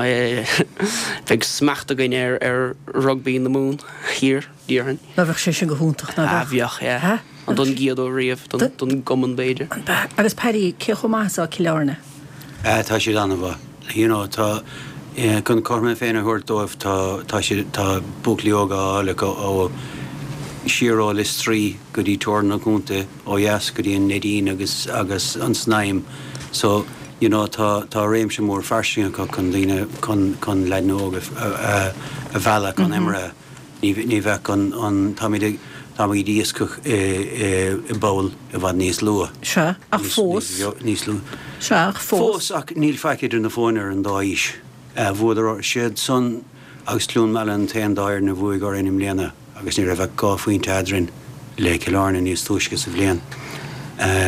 bheadh smacht againn ar ar rugbaí na Mumhan thiar, déarfainn. Ná bheadh sé sin go hiontach, ná beadh? Ah, bheadh, yeah. Ha? An don gcéad uair riamh, don don gcumann b'fhéidir. An b'ea? Agus Paddy, cé chomh maith is atá Cill Airne? Ah, tá siad an-mhaith. You know, tá, chun cothrom na Féinne a thabhairt dóibh, tá, tá siad, tá buachaillí óga á fháil acu ó, siar ó Lios Tuí go dtí teorainn an chontae ó dheas go dtí an Neidín agus, agus an Snaidhm. So, you know tá tá réimse mór fairsing acu chun daoine chun chun leaideanna óga a a mhealladh chun imeartha. Ní ní bheadh an an táimid ag táimid iascach i i i bpoll i bhfad níos luath. Sea, ach Níos fós. níos níos lú. Sea, ach fós. Fós ach níl faic idir na foirne ar an dá aois. Bhuadar siad san agus Cluain Meala an t-aon dá fhoireann a bhuaigh orainn i mbliana. agus ní raibh ach 2 phointe eadrainn le Cill Airne níos túisce sa bhliain,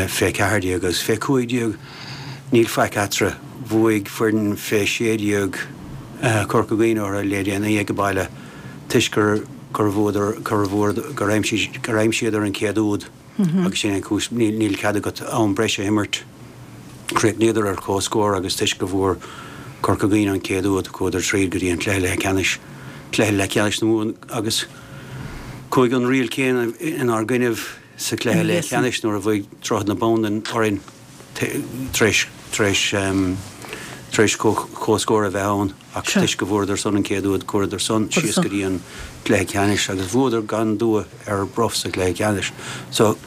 fé 14 agus fé 15 níl faic eatarthu. Bhuaigh foireann fé 16 Corca Dhuibhne orthu le déanaí ag baile toisc gur gur bhuadar gur bhfuair gur aimsigh gur aimsíodar an chéad úd. Agus sin é an chúis, níl cead agat am breise a imirt. Chríochnaíodar ar comhscór agus toisc go bhfuair Corca Dhuibhne an chéad úd, chuadar tríd go dtí an cluiche leathcheannais, cluiche leathcheannais na Mumhan agus chuaigh an riail chéanna inár gcoinnibh sa chluiche leathcheannais nuair a bhuaigh Droichead na Bandan orainn tar éis, tar éis, tar éis comhscór a bheith ann. Ach toisc go bhfuaireadar san an chéad úd, chuadar san síos go dtí an cluiche ceannais agus bhuadar gan dua ar Bruff sa chluiche ceannais. So,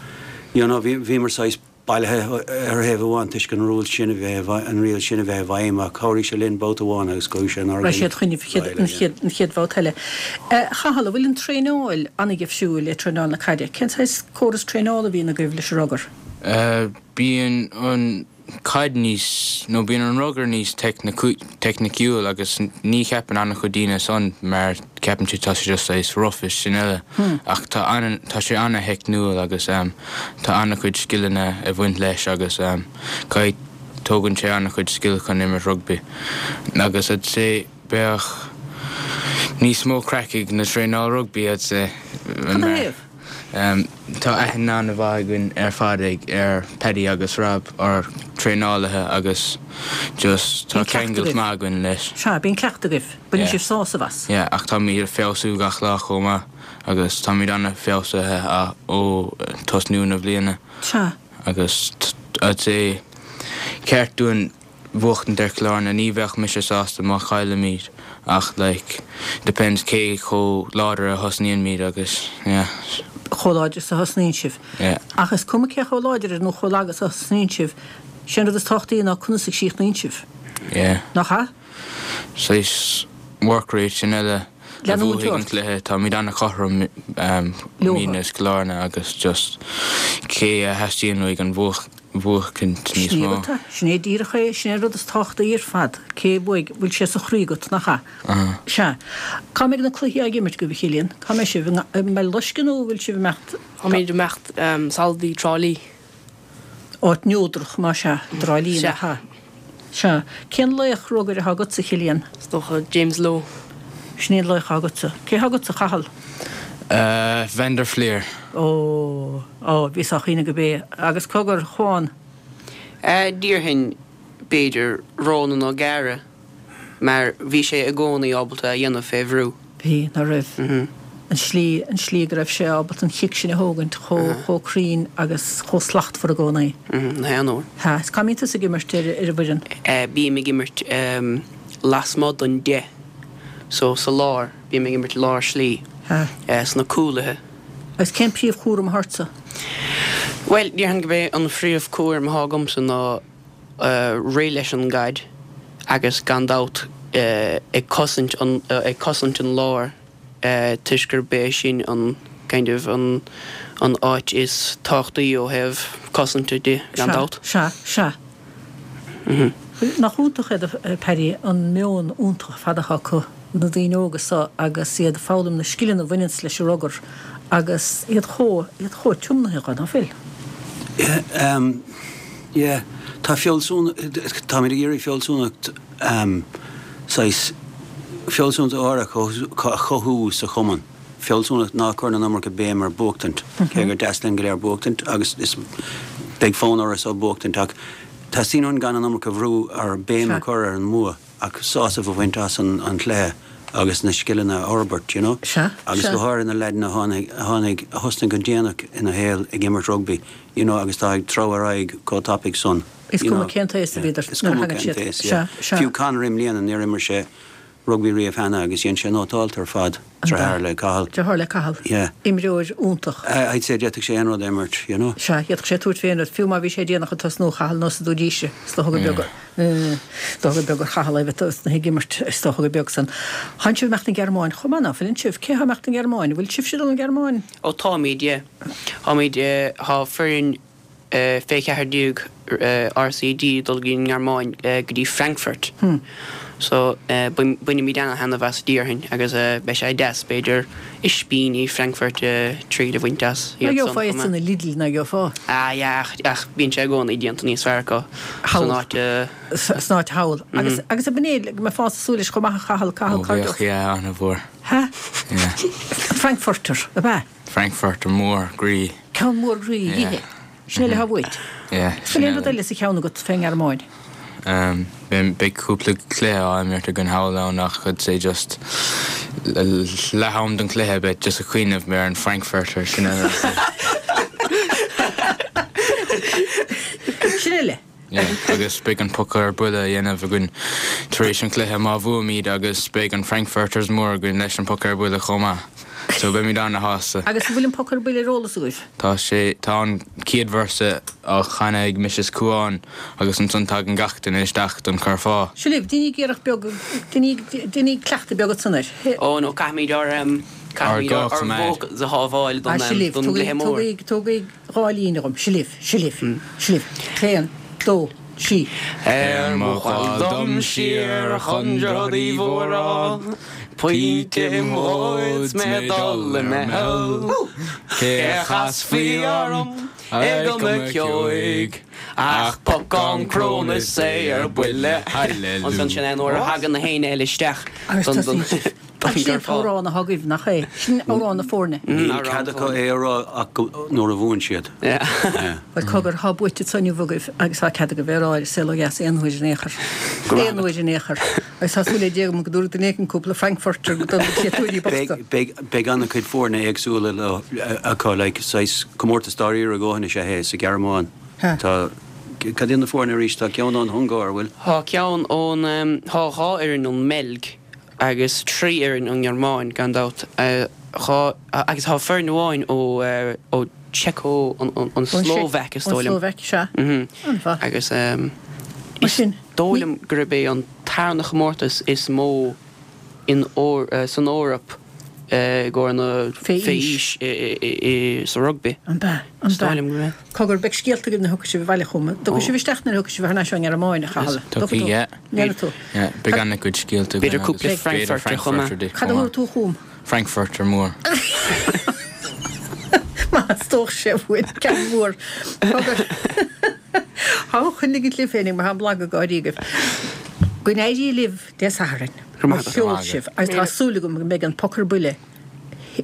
you know, bhí, bhíomar saghas bailithe ar thaobh amháin toisc an rule sin a bheith, an riail sin a bheith i bhfeidhm ach chabhraigh sé linn babhta amháin agus chuaigh sé inár Raibh siad chugaibh an chéad, an chéad bhabhta eile. A Chathail, an bhfuil an traenáil an-dhifriúil le traenáil na caide? Cén saghas córas traenála a bhíonn agaibh leis an rugar? Bíonn an caid níos, nó bíonn an rugar níos teicniciúil agus ní cheapann an-chuid daoine san mar ceapann siad tá sé just saghas rough is sin uile ach tá an, tá sé an-theicniúil agus tá an-chuid scileanna ag bhaint leis agus caithfidh, tógann sé an-chuid scil chun imirt rugbaí agus I'd say bheadh níos mó craic ag na traenáil rugbaí I'd say Cad ina thaobh? Tá aithne an-mhaith againn ar fad ag ar Paddy agus Rob, ár traenálaithe agus just tá Bíonn cleachtadh ceangailt agaibh. maith againn leis. Sea, bíonn cleachtadh agaibh. Baineann Yeah. sibh sásamh as. Yeah, ach táimid ag feabhsú gach lá chomh maith agus táimid an-fheabhsaithe ó tosnú na bliana Sea. agus I'd say ceart dúinn bhuachtaint ar Chill Airne. Ní bheadh mise sásta má chaillimid ach like depends cé chomh láidir a thosnaíonn agus yeah. chomh láidir is a thosnaíonn sibh. Yeah. Ach is cuma cé chomh láidir nó chomh lag is a thosnaíonn sibh, sé an rud is tábhachtaí ná conas a chríochnaíonn sibh. Yeah. Nach ea? Saghas work rate sin eile a bhuafaidh an cluiche. Táimid an-chothrom, muidne is Cill Airne agus just cé a theastaíonn uaidh an bhuachaint níos mó. Sin é díreach é, sin é an rud is tábhachtaí ar fad, cé a bhuafaidh, bhfuil sé sa chroí agat, nach ea? Sea. Cá mbeidh na cluichí á n-imirt agaibh, a Chillian? Cá mbeidh sibh? I mBaile Loiscthe nó bhfuil sibh ag imeacht? Táimid ag imeacht sall dtí Trá Lí. Áit neodrach, más ea, i dTrá Lí, nach ea? Sea. Cén laoch rugair atá agatsa, a Chillian? Is dócha James Lowe. Sin é an laoch atá agatsa. Cé atá agatsa, a Chathail? Van der Flier. Ó, ó, bhí sách iontach gurb é. Agus cogar, a Chuáin? Déarfainn, b'fhéidir, Ronan O'Gara. mar bhí sé i gcónaí ábalta a dhéanamh fé bhrú. Bhí, ná raibh? An slí, an slí go raibh sé ábalta an chic sin a thógaint chomh, chomh cruinn agus chomh slachtmhar i gcónaí. Na haon uair. Sea. Is cá mbíonn tusa ag imirt ar, ar an bhfoireann? Bím ag imirt lasmuigh don 10, so sa lár, bím ag imirt lár slí, sna cúlaithe. Agus cén príomhchúram atá ortsa? Bhuel, déarfainn gurb é an phríomhchúram atá agamsa ná rith leis an gcaid agus gan dabht ag cosaint an ag cosaint an láir toisc gurb é sin an kind of an an áit is tábhachtaí ó thaobh cosanta de gan dabht. Sea, sea, sea. Nach iontach é Paddy an meon iontach ar fad atá acu, na daoine óga so agus iad ag foghlaim na scileanna a bhaineanns leis an rugar agus iad chomh, iad chomh tiomnaithe dho, ná fuil? Yeah, yeah. Tá fealsúnacht, táimid ag iarraidh fealsúnacht, saghas fealsúnacht áirithe a chothú sa chumann. Fealsúnacht ná cuireann an iomarca béim ar buachtaint, cé gur deas linn go léir buachtaint agus is beidh fonn orainn so buachtaint ach teastaíonn uainn gan an iomarca bhrú ar béim a chur ar an mbua ach sásamh a bhaint as an chluiche agus na scileanna a fhorbairt, you know. Sea, Agus sea. go háirithe na leaideanna a tháinig, a tháinig, a thosnaigh go déanach ina shaol ag imirt rugbaí, you know, agus tá ag treabhadh ar aghaidh chomh tapaidh san, Is you cuma know. cén t-aos a Yeah, bhíodar is nuair a cuma thagann cén siad. t-aos, yeah. Sea, sea. Fiú Conor i mbliana, níor imir sé rugbaí riamh cheana agus dhein sé nótálta ar fad, deartháir le Cathal. Deartháir le Cathal. Yeah. Imreoir iontach. I'd say d'fhéadfadh sé aon rud a imirt, you know. Sea, d'fhéadfadh sé tabhairt fé aon rud, fiú má bhí sé déanach ag tosnú, a Chathail, nós a dúirt Is dócha gur beag, is dócha gur beag ar Chathal é a bheith tosnaithe ag imirt, is dócha gur beag san. Tánn sibh ag imeacht 'na Gearmáin chomh maith, ná fuileann sibh? Cé thá ag imeacht 'na Gearmáin? Bhfuil sibhse ag dul 'na Gearmáin? Ó táimid, yeah. Táimid, tá foireann fé 14 RCD ag dul go dtí an nGearmáin, go dtí Frankfurt. So, bainfimid ana-thaitneamh as déarfainn agus beidh sé deas, b'fhéidir, ispíní Frankfurt triail a bhaint as iad san chomh maith. Gheofá iad san i Lidl, ná gheofá? Ah yeah, ach bíonn sé i gcónaí déanta níos fearr acu san áit. San áit thall. Agus, agus ab in é, go mbeifeá ag súil leis chomh maith a Chathail, Cathal, Ó bheadh, yeah, ana-mhór. Ha? Yeah. Frankfurter, ab ea? Frankfurter mór groí. Ceann mór groí a Yeah. dh'ithe. Sin uile atá uait. Yeah, Bhfuil sin aon rud eile. eile sa cheann agat fén nGearmáin? Um, beidh cúpla cluiche á imirt againn thall ann ach I'd say just leath am don chluiche beidh just ag cuimhneamh ar an Frankfurter sin eile. Sin uile. Yeah, agus beidh an poca ar buile a dhéanamh againn tar éis an chluiche má bhuaimid agus beidh an Frankfurters mór againn leis an poca ar buile chomh maith. So beimid ana-shásta. Agus an bhfuil an poca ar buile ar eolas agaibh? Tá sé, tá an chéad véarsa á chanadh ag Mrs Cuán agus ansan tagann gach duine isteach don curfá. Seo libh, deiníg iarracht beag, deiníg, deiníg cleachtadh beag ansan air. Oh no, caithfimid ár, caithfimid Ár ár gcoimeád. vocals a shábháil don, Ah, seo libh, don gcluiche mór. tugaigí, tugaigí, 2 líne dhom. Seo libh, seo libh, seo libh. Haon, dó, trí. Ar mo ghabháil dom siar chun Droichead Uí Mhóráin, Pointe im dhóid 's mé ag dul i meitheal, Cé a chasfaí orm ag an gCeoigh Ach pocán crón is é ar buile. Ansan sin é nuair a thagann na héinne eile isteach Agus don tosaíonn sibh. Ach sin an t-amhrán atá agaibh, nach é? Sin amhrán na foirne. Níl cead acu é a rá ach nuair a bhuann siad. Bhuel, cogar, tá buaite anso inniu agaibh agus tá cead agaibh é a rá ar An Saol Ó Dheas aon uair in aon chor. Aon uair in aon chor. Agus tá súil le Dia agam go dtabharfaidh duine éigin cúpla Frankfurter do na créatúirí bochta. Beidh an-chuid foirne éagsúla acu, like, saghas comórtas dáiríre a dhóthain is ea é sa Ghearmáin. Tá, cad iad na foirne arís? Tá ceann ón Ungáir, bhfuil? Tá ceann ón, tá 2 fhoireann ón mBeilg. agus 3 fhoireann ón nGearmáin, gan dabht, 2, agus tá foireann amháin ó, ó Seico, an Slóvaic is dóigh liom. Ón Slóvaic, sea. An-mhaith. Agus. Is dóigh liom gurb é an tarna chomórtas is mó in san Eoraip i gcomhair na fé aois sa rugbaí. An b'ea? An Is dóigh liom gurb ea. Cogar, beidh scéalta agaibh nuair a thiocfaidh sibh abhaile chugam. Dtiocfaidh sibh isteach nuair a thiocfaidh sibh thar n-ais ón nGearmáin, a Chathail? Tiocfaidh, yeah. Ndéanfaidh tú? Yeah, beidh an-chuid scéalta againn B'fhéidir cúpla Frankfurter chomh maith. Cad a thabharfaidh tú chugam? Frankfurter mór. Má theastódh sé uait ceann mór. Cogar. Tá, coinnigí libh féinig mar tá an blag ag gáirí agaibh. Go n-éirí libh Dé Sathairn. Mo cheol sibh agus tá súil agam go mbeidh an poc ar buile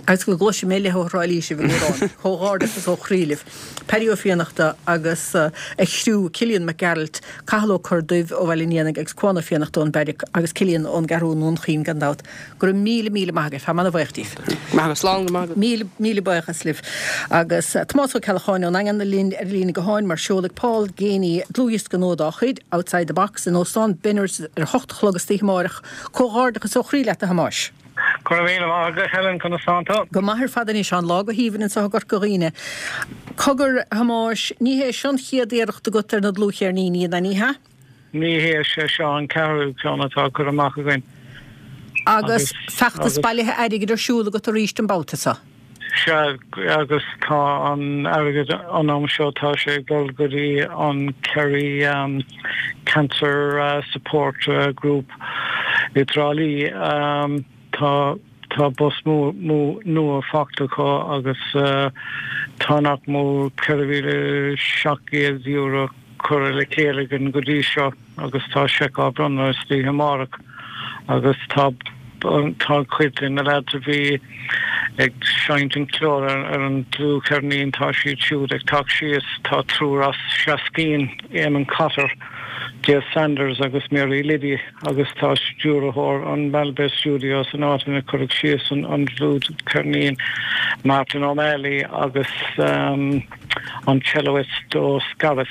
agus go gcloisfidh mé leath ó Thrá Lí sibh ag amhrán. Comhghairdeachas ó chroí libh. Paddy Ó Fiannachta agus a chriú, Cillian Mac Gearailt, Cathal Ó Corrduibh ó Bhaile an Éanaigh agus Cuán Ó Fiannachta ón Beairic agus Cillian ón gCeathrú i nDún Chaoin gan dabht. Go raibh míle míle maith agaibh. Táim ana-bhaoch díbh. Maith agat. Slán go maith agat. Míle míle buíochas libh. Agus Tomás Ó Ceallacháin ón nDaingean linn ar an líne gutháin mar seolfaidh Paul Geaney dlúthdhiosca nua dá chuid, Outside the Box, in Óstán Benners ar a hocht a chlog istoíche amáireach. Comhghairdeachas ó chroí leat a Thomáis. Go raibh míle maith agat a Helen, conas tánn tú? Go maith ar fad anois, tá an lá go haoibhinn anseo i gCorca Dhuibhne. Cogar, a Thomáis, ní hé seo an chéad iarracht agat ar na dlúthcheirníní, ná ní hea? Ní hea, sé seo an ceathrú ceann atá curtha amach againn. Agus feachtas bailithe airgid ar siúl agat arís an babhta seo? Sea, agus tá an airgead an am seo, tá sé ag dul go dtí an Kerry Cancer Support Group i dTrá Lí. Tá tá bus nua faighte acu agus tá nach mór €4,700 curtha le chéile againn go dtí seo agus tá seic á bronnadh istoíche amárach agus tá tá cuid de na lads a bhí ag seinnt an cheoil ar an dlúthcheirnín, tá siad siúd ag teacht síos, tá triúr as Seaskeen, Eamon Cotter, Dave Sanders agus Mary Liddy. agus tá stiúrthóir an Malbay Studios, an áit ina cuireadh síos an dlúthcheirnín, Martin O'Malley agus an celloist ó Scariff,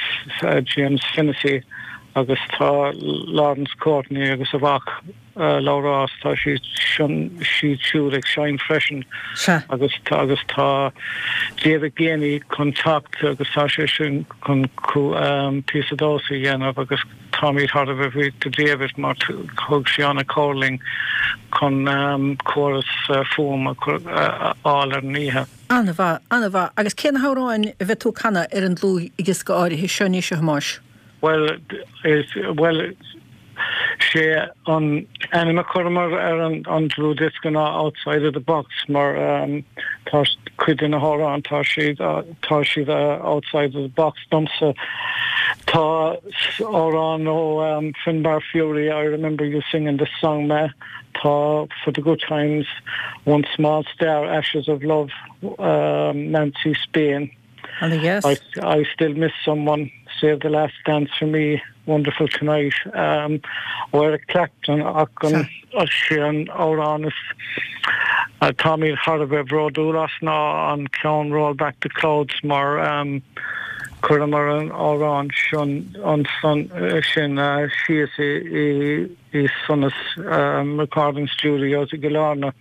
James Fennessy agus tá Laurence Courtney agus a mhac Labhrás, tá siad siúd ag seinnt freisin agus agus tá David Geaney chun teacht agus tá sé sin chun píosa damhsa a dhéanamh agus Táimid thar a bheith buíoch do David mar thug sé an-chabhair linn chun córas fuaim a fháil ar an oíche. An-mhaith, an-mhaith. Agus cé na hamhráin a bheidh tú ag canadh ar an dlúthdhiosca áirithe seo anois, a Thomáis? Bhuel, bhuel, sé an ainm a chuireamar ar an dlúthdhiosca ná Outside of the Box mar tá cuid de na hamhráin, tá siad, tá siad outside of the box domsa. Tá amhrán ó Finbar Furey, I Remember You Singing This Song Ma, tá For the Good Times, One Small Star, Ashes of Love, Nancy Spain, I, I Still Miss Someone, Save the Last Dance for Me, Wonderful Tonight, ó Eric Clapton ach an sé an amhrán is táimid thar a bheith bhródúil as ná an ceann Roll Back the Clouds mar chuireamar an amhrán sin sin síos i i Sonas Recording Studios i gCill Airne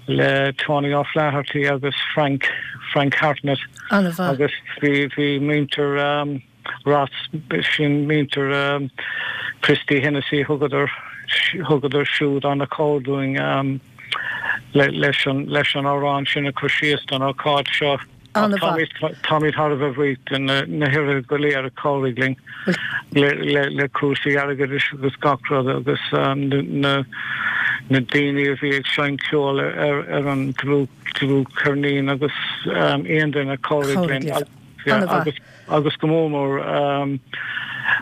le Tony O'Flaherty agus Frank Frank Hartnett agus bhí bhí muintir Ross, sin muintir Christy Hennessy, thugadar, thugadar siúd an-chabhair dúinn leis an, leis an amhrán sin a chur síos don ócáid seo. An-mhaith. Táimid thar a bheith buíoch de na hoibrithe go léir a chabhraigh linn le, le, le cúrsaí airgeadais agus gach rud agus na, na daoine a bhí ag seinnt ceoil ar, ar an dlúth, dlúthcheirnín agus aon duine a chabhraigh linn. An-mhaith. Agus go mór mór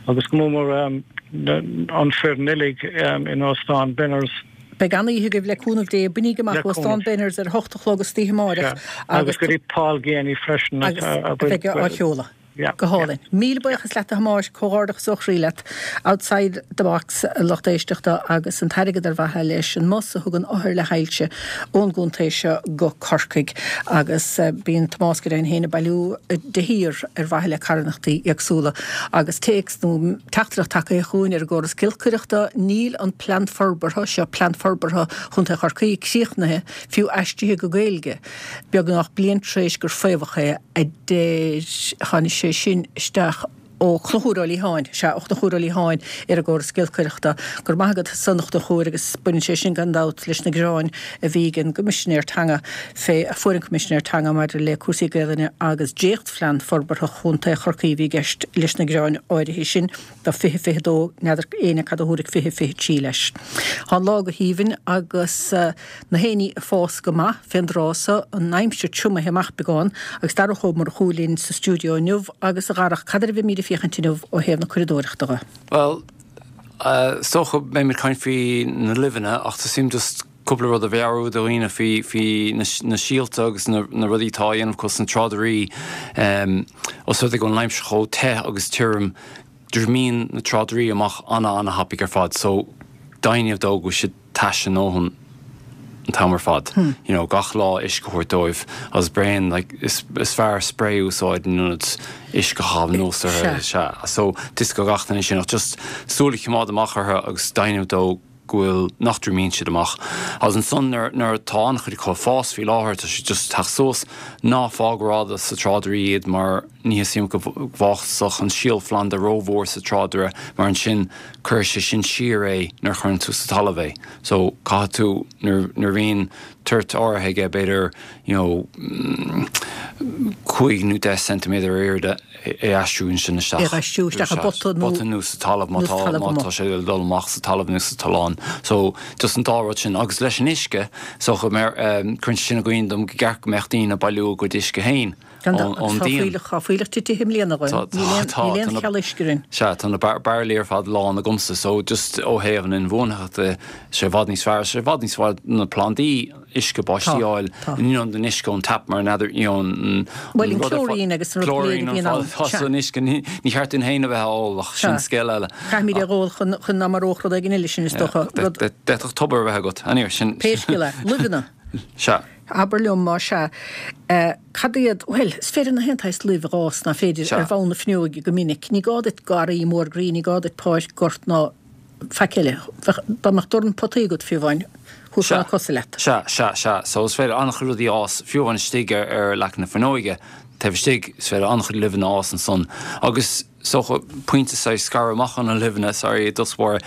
agus go mór mór an foireann uilig in Óstán Benners. Beidh an-oíche agaibh le cúnamh Dé. Bainigí amach Óstán Benners ar a hocht a chlog istoíche amáireach agus go dtí Paul Geaney freisin a bheidh á sheoladh. Go hálainn. Míle buíochas leat a Thomáis, comhghairdeachas ó chroí leat. Outside the Box, a lucht éisteachta, agus an t-airgead ar mhaithe leis an mbus a thugann othair le hailse ón gcontae seo go Corcaigh. Agus bíonn Tomás go deimhin féin ag bailiú de shíor ar mhaithe le carthanachtaí éagsúla. Agus téacs nó teachtaireacht tagtha chugainn ar an gcóras giolcaireachta, níl an Plean Forbartha seo, Plean Forbartha Chontae Chorcaí, críochnaithe, fiú aistrithe go Gaeilge, beagnach bliain tar éis gur faomhadh é, a deir, tháinig sé sin isteach. Ó Chonchúir Ó Liatháin, sea, ó Chonchúr Ó Liatháin ar an gcóras giolcaireachta. Go raibh maith agat as san, a Chonchúir, agus baineann sé sin gan dabht leis na gearáin a bhí ag an gCoimisinéir Teanga fé, a fuair an Coimisinéir Teanga maidir le cúrsaí Gaelainne agus dréachtphlean forbartha Chontae Chorcaí a bhí i gceist leis na gearáin áirithe sin. Do 2022, n'fheadar éinne cad a thabharfaidh 2023 leis. Tá an lá go haoibhinn agus na héinní ag fás go maith fén dtráth so, an aimsir triomaithe amach beagán agus Darach Ó Murchú linn sa stiúideo inniu agus a Dharach, cad air a bheimíd ag féachaint inniu ó thaobh na curadóireachta dhe? Bhuel, is dócha beimid ag caint faoi na luibheanna ach tá suim just cúpla rud a mheabhrú do dhaoine faoi faoi na síolta agus na rudaí atá á dhéanamh acu sna tráidirí. Os rud é go bhfuil an aimsir chomh te agus tirim, triomaíonn na tráidirí amach ana-ana-thapaidh ar fad so deimhniú dó go bhfuil siad tais a ndóthain an t-am ar fad. You know, gach lá uisce a thabhairt dóibh agus braon, like, is fearr spray a úsáid in ionad uisce a chaitheamh anuas orthu. Sea. So, tuigeann gach duine sin ach just súil a choimeád amach orthu agus deimhniú dó go bhfuil, nach dtriomaíonn siad amach. Agus ansan nuair, nuair atá an-chuid acu ag fás faoi láthair, tá siad just ag teacht suas, ná fág rófhada sa tráidire iad mar ní theastaíonn go bhfásfadh an síolphlanda rómhór sa tráidire mar ansin cuirfidh sé sin siar é nuair a chuireann tú sa talamh é. So caithfidh tú, nuair, nuair a bhíonn toirt áirithe aige, b'fhéidir, you know, 5 nó 10 ceintiméadar ar airde, é a aistriú ansin isteach. É a aistriú isteach i bpota nó. Pota nó sa talamh má tá má tá sé ag dul amach sa talamh nó sa tollán. So just an dá rud sin. Agus leis an uisce, so go mbeadh, cuireann sé sin i gcuimhne dom go gceart go mbeadh daoine ag bailiú a gcuid uisce féin ón díon. Tá fuílleach titithe i mbliana againn. Níl aon cheal uisce orainn. Sea, tá na bairillí ar fad lán agamsa. So just ó thaobh an inbhuanaitheachta, sé i bhfad níos fearr, sé i bhfad níos fearr na plandaí, uisce báistí a fháil in ionad an uisce ón tap mar n'fheadar you know an Bhuel an chlorine agus an rud go léir a bhíonn ann. Tá san uisce ní cheart dúinn féin a bheith á ól ach sin scéal eile. Caithfimid é a dh'ól chun chun ná maródh rud éigin eile sinn is dócha. Rud. D'fhéadfadh tobar a bheith agat. Anyway sin. Pé scéal é. Luibheanna. Sea. Abair liom más ea, cad iad, bhuel, is féidir na haon tsaghas luibh a dh'fhás, nach féidir, ar bhonn na fuinneoige go minic. Ní gá duit garraí mór groí, ní gá duit páirc, gort ná faic eile. Bheadh, dá mbeadh dorn potaí agat fiú amháin, thabharfá na cosa leat. Sea, sea, sea. So is féidir an-chuid rudaí a fhás, fiú amháin istigh ar, ar leac na fuinneoige, taobh istigh, is féidir an-chuid luibheanna a fhás ansan. Agus is dócha, pointe saghas scaradh amach ó na luibheanna, sorry, i dtús báire,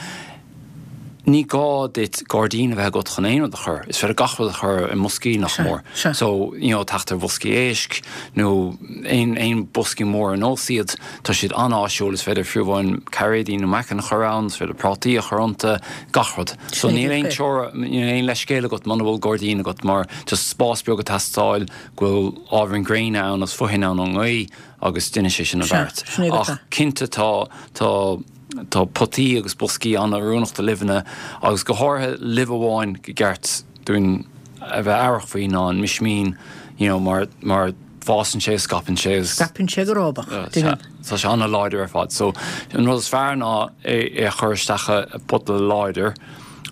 ní gá duit gairdín a bheith agat chun aon rud a chur. Is féidir gach rud a chur i mboscaí, nach mór. So, you know, teacht ar bhoscaí éisc nó aon, aon boscaí mór ar nós iad, Tá siad an-áisiúil, is féidir fiú amháin cairéidí nó meacain a chur ann, is féidir prátaí a chur iontu, gach rud. So níl aon teora, níl aon leithscéal agat muna bhfuil gairdín agat mar just spás beag ag teastáil, go bhfuil ábhairín gréine ann agus fothain ann ón ngaoth agus déanann sé sin an beart. Ach cinnte tá, tá, tá potaí agus boscaí an-oiriúnach do luibheanna agus go háirithe luibh amháin go gceart dúinn a bheith aireach faoi ná an mismín, you know, mar, mar, fásann sé, scaipeann sé agus. Scaipeann sé go rábach, déanann. Tá sé an-láidir ar fad. So, an rud is fearr ná é a chur isteach i bpota láidir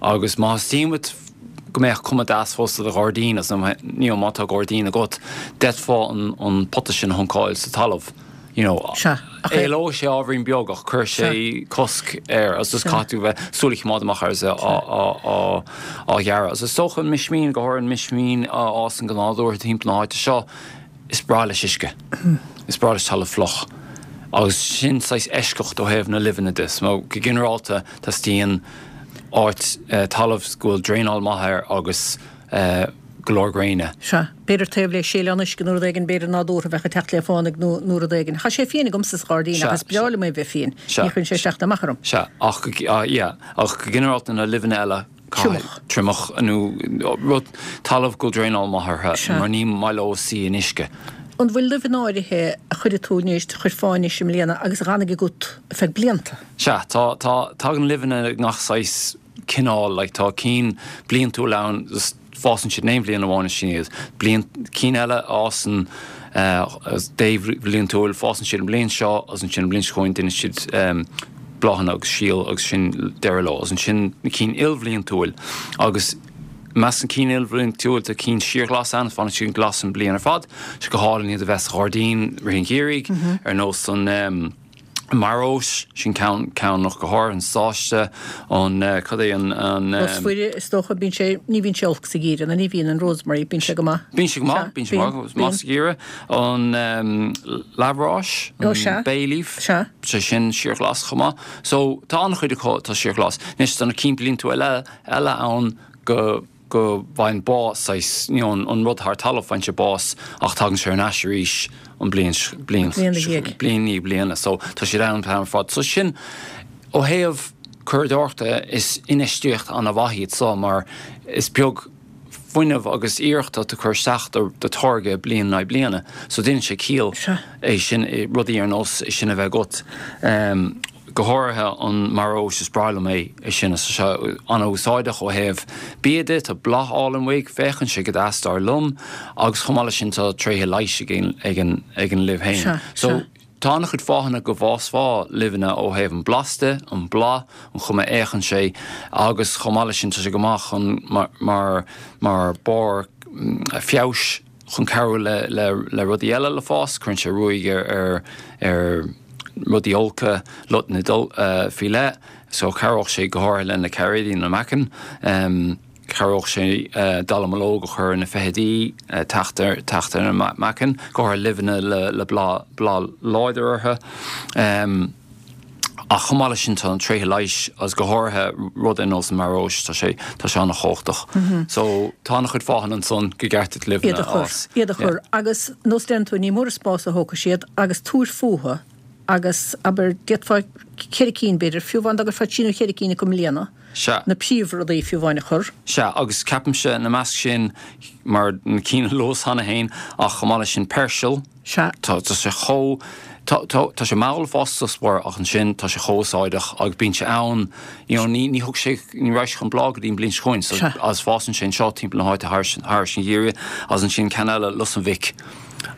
agus má theastaíonn uait go mbeadh cuma deas fós do do ghairdín agus you know má tá gairdín agat, d'fhéadfá an pota sin a shuncáil sa talamh. You know, Sea, ach é. Éalóidh sé ábhairín beag ach cuirfidh sé cosc air agus just caithfidh tú bheith súil a choimeád amach air is é á á ghearradh. Agus is dócha an mismín, go háirithe an mismín a fhásann go nádúrtha timpeall na háite seo, is breá leis uisce. Is breá leis talamh fliuch. Agus sin saghas eisceacht ó thaobh na luibheanna de. So, go ginearálta, teastaíonn áit, talamh go bhfuil draenáil maith air agus go leor gréine. Sea. B'fhéidir taobh le séileán uisce nó rud éigin, b'fhéidir nádúrtha a bheadh ag teacht le fánaidh nó nó rud éigin. Tá sé fiain agamsa sa ghairdín ach is breá liom é bheith fiain. Ní chuireann sé isteach ná amach orm. Sea, ach go, yeah, ach go ginearálta na luibheanna eile, Triomach. Triomach nó rud, talamh go bhfuil draenáil maith orthu mar ní maith leo suí in uisce. An bhfuil luibheanna áirithe a chuirfidh tú anois, a chuirfeá anois i mbliana agus a dh'fhanfaidh agat ar feadh blianta? Sea, tá, tá, tagann luibheanna i ngach saghas cineál, like tá cinn bliantúil ann, just fásann siad in aon bhliain amháin is sin iad. Bliain, cinn eile a fhásann débhliantúil, fásann siad an bhliain seo agus ansin an bhliain seo chugainn déanann siad bláthanna agus síol agus sin deireadh leo. Agus ansin na cinn ilbhliantúil agus i measc na cinn ilbhliantúil tá cinn síorghlas ann, fanann siad glas an bliain ar fad. Sé go hálainn iad a bheith sa ghairdín rith an gheimhridh ar nós an. Maróis, sin ceann, ceann ach go háirithe an sáiste, an, cad é an, an. Lus Mhuire, is dócha, bíonn sé, ní bhíonn sé olc sa gheimhreadh, nó ní bhíonn an rosemary, bíonn sé go maith. Bíonn sé go maith, bíonn sé go maith sa gheimhreadh. An leathmharóis, an bay leaf, sé sin síorghlas chomh maith. So tá an-chuid acu atá síorghlas. Anois tá na cinn bliantúla eile, eile ann go, go bhfaigheann bás, saghas, you know, an rud thar talamh, faigheann sé bás ach tagann sé ar ais arís an bliain, bliain, Bliain ina dhiaidh. bliain i ndiaidh bliana. So tá siad ann an t-am ar fad. So sin, ó thaobh curadóireachta, is infheistíocht an-mhaith iad so mar is beag fuinneamh agus iarracht atá tú ag cur isteach do, do táirge bliain in aghaidh bliana. So déanann sé ciall é sin, rudaí ar nós é sin a bheith agat. Go háirithe an maróis, is breá liom é, é sin, is tá sé an-úsáideach ó thaobh bia de, tá bláth álainn uaidh, féachann sé go deas dar liom, agus chomh maith leis sin tá tréithe leighis ag an ag an luibh féin. So tá an-chuid fáthanna go bhfásfá luibheanna ó thaobh an blas de, an bláth, an chuma a fhéachann sé, agus chomh maith leis sin tá sé go maith chun mar mar barr feabhais chun cabhrú le rudaí eile le fás, cuireann sé ruaig ar rudaí olca, lotnaid faoi leith, so chabhródh sé go háirithe le na cairéidí, na meacain, chabhródh sé dallamullóg a chur ar na feithidí, teacht ar na meacain, go háirithe luibheanna le bláth láidir orthu. Ach chomh maith leis sin tá na tréithe leighis agus go háirithe rud ar nós an maróis, tá sé, tá sé an-chumhachtach. So tá an-chuid fáthanna ansan gur cheart duit luibheanna a fhás. Iad a chur. Agus nós deireann tú, ní mór an spás a thógfaidh siad agus tabhair fúthu agus abair, d'fhéadfá cheithre cinn b'fhéidir, fiú amháin dá gcuirfeá trí nó cheithre cinn acu i mbliana, Sea. na príomhrudaí fiú amháin a chur. Sea, agus ceapaimse ina measc sin, mar na cinn a luas cheana féin, ach chomh maith leis sin peirsil, Sea. Tá sé chomh, tá, tá, tá sé mall fosta spor ach ansin tá sé chomh úsáideach agus bíonn sé ann, you know, ní, ní thug sé, ní raibh sé chun bláth go dtí an bliain seo chugainn so, Sea. agus fásann sé anseo timpeall na háite thairis, thairis an gheimhreadh agus ansin ceann eile, lus an mhic.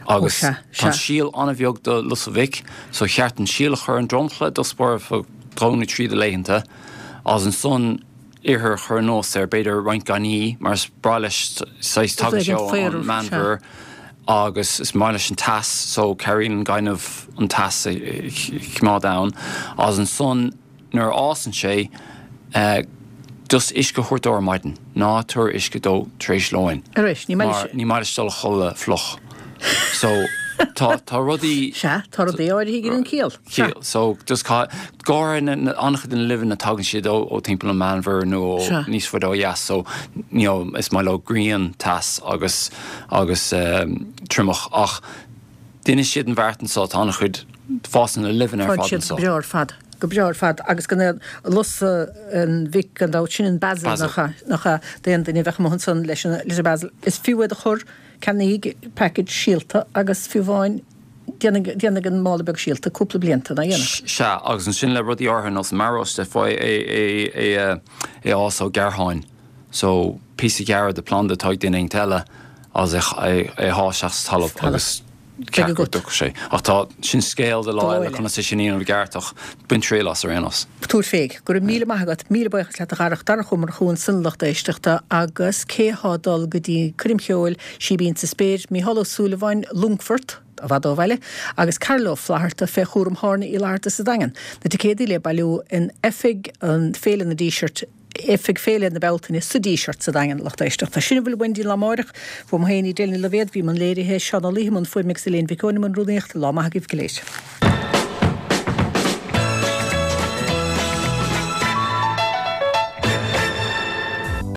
Agus Ó sea, tá an sea. síol an-bheag do lus an mhic so cheart an síol a chur ar an dromchla i dtús báire fá dhó nó trí de laethanta agus ansan ithir a chur anuas air, b'fhéidir roinnt gainní, mar is breá leis, saghas, tagann sé ón Meánmhuir agus is maith leis an teas, so cabhraíonn an gaineamh an teas a choimeád ann. Agus ansan nuair a fhásann sé, just uisce a thabhairt dó ar maidin, ná tabhair uisce dó tar éis lóin, mar ní maith leis dul a chodladh fliuch. So tá, tá rudaí. Sea, tá rudaí áirithe ag an ciall. Sea. So just go háirithe an-chuid de na luibheanna tagann siad ó timpeall an Mheánmhuir nó ó níos faide ó dheas so you know is maith leo grian, teas agus agus triomach ach déanfaidh siad an bheart anso tá an-chuid fásann na luibheanna ar Fásann fad siad anso. go breá ar fad, go breá ar fad agus gan aon lus an mhic gan dabht sin an basil Basil. nach ea, nach ea d'aon duine a bheadh amuigh ansan leis an leis an basil is fiú iad a chur ceannaigh package síolta agus fiú amháin Déanfaidh an mála beag síolta cúpla blianta ná dhéanfaidh. Sea, agus ansin le rudaí áirithe ar nós an maróis d'fhéadfá é a fhás ó ghearrtháin. So, píosa a ghearradh de planda atá ag duine éigint eile agus é a shá isteach sa talamh agus ceart go dtiocfaidh sé. Ach tá, sin scéal do lá eile conas é sin a dhéanamh i gceart ach bain triail as ar aon nós. Tabhair fé. Go raibh míle maith agat. Míle buíochas leat a Dharach. Darach Ó Murchú ansan lucht éisteachta agus cé thá ag dul go dtí coirm cheoil Síbín sa Spéir, Mícheál Ó Súilleabháin, Longfort, i bhfad ó bhaile, agus Carol Ó Flatharta fé chúram Thárna Uí Fhlatharta sa Daingean. Na ticéadaí le bailiú in Oifig an Féile na Dísirt, Oifig Féile na Bealtaine sa Díseart sa Daingean, lucht éisteachta. Sin a bhfuil uainn dtí an lá amáireach. Uaim féin, Edel Ní Loibhéad, bhí i mbun léirithe, Seán Ó Laoithe i mbun fuaime agus Elaine Mhic Eoin i mbun rúnaíochta. Lá maith agaibh go léir.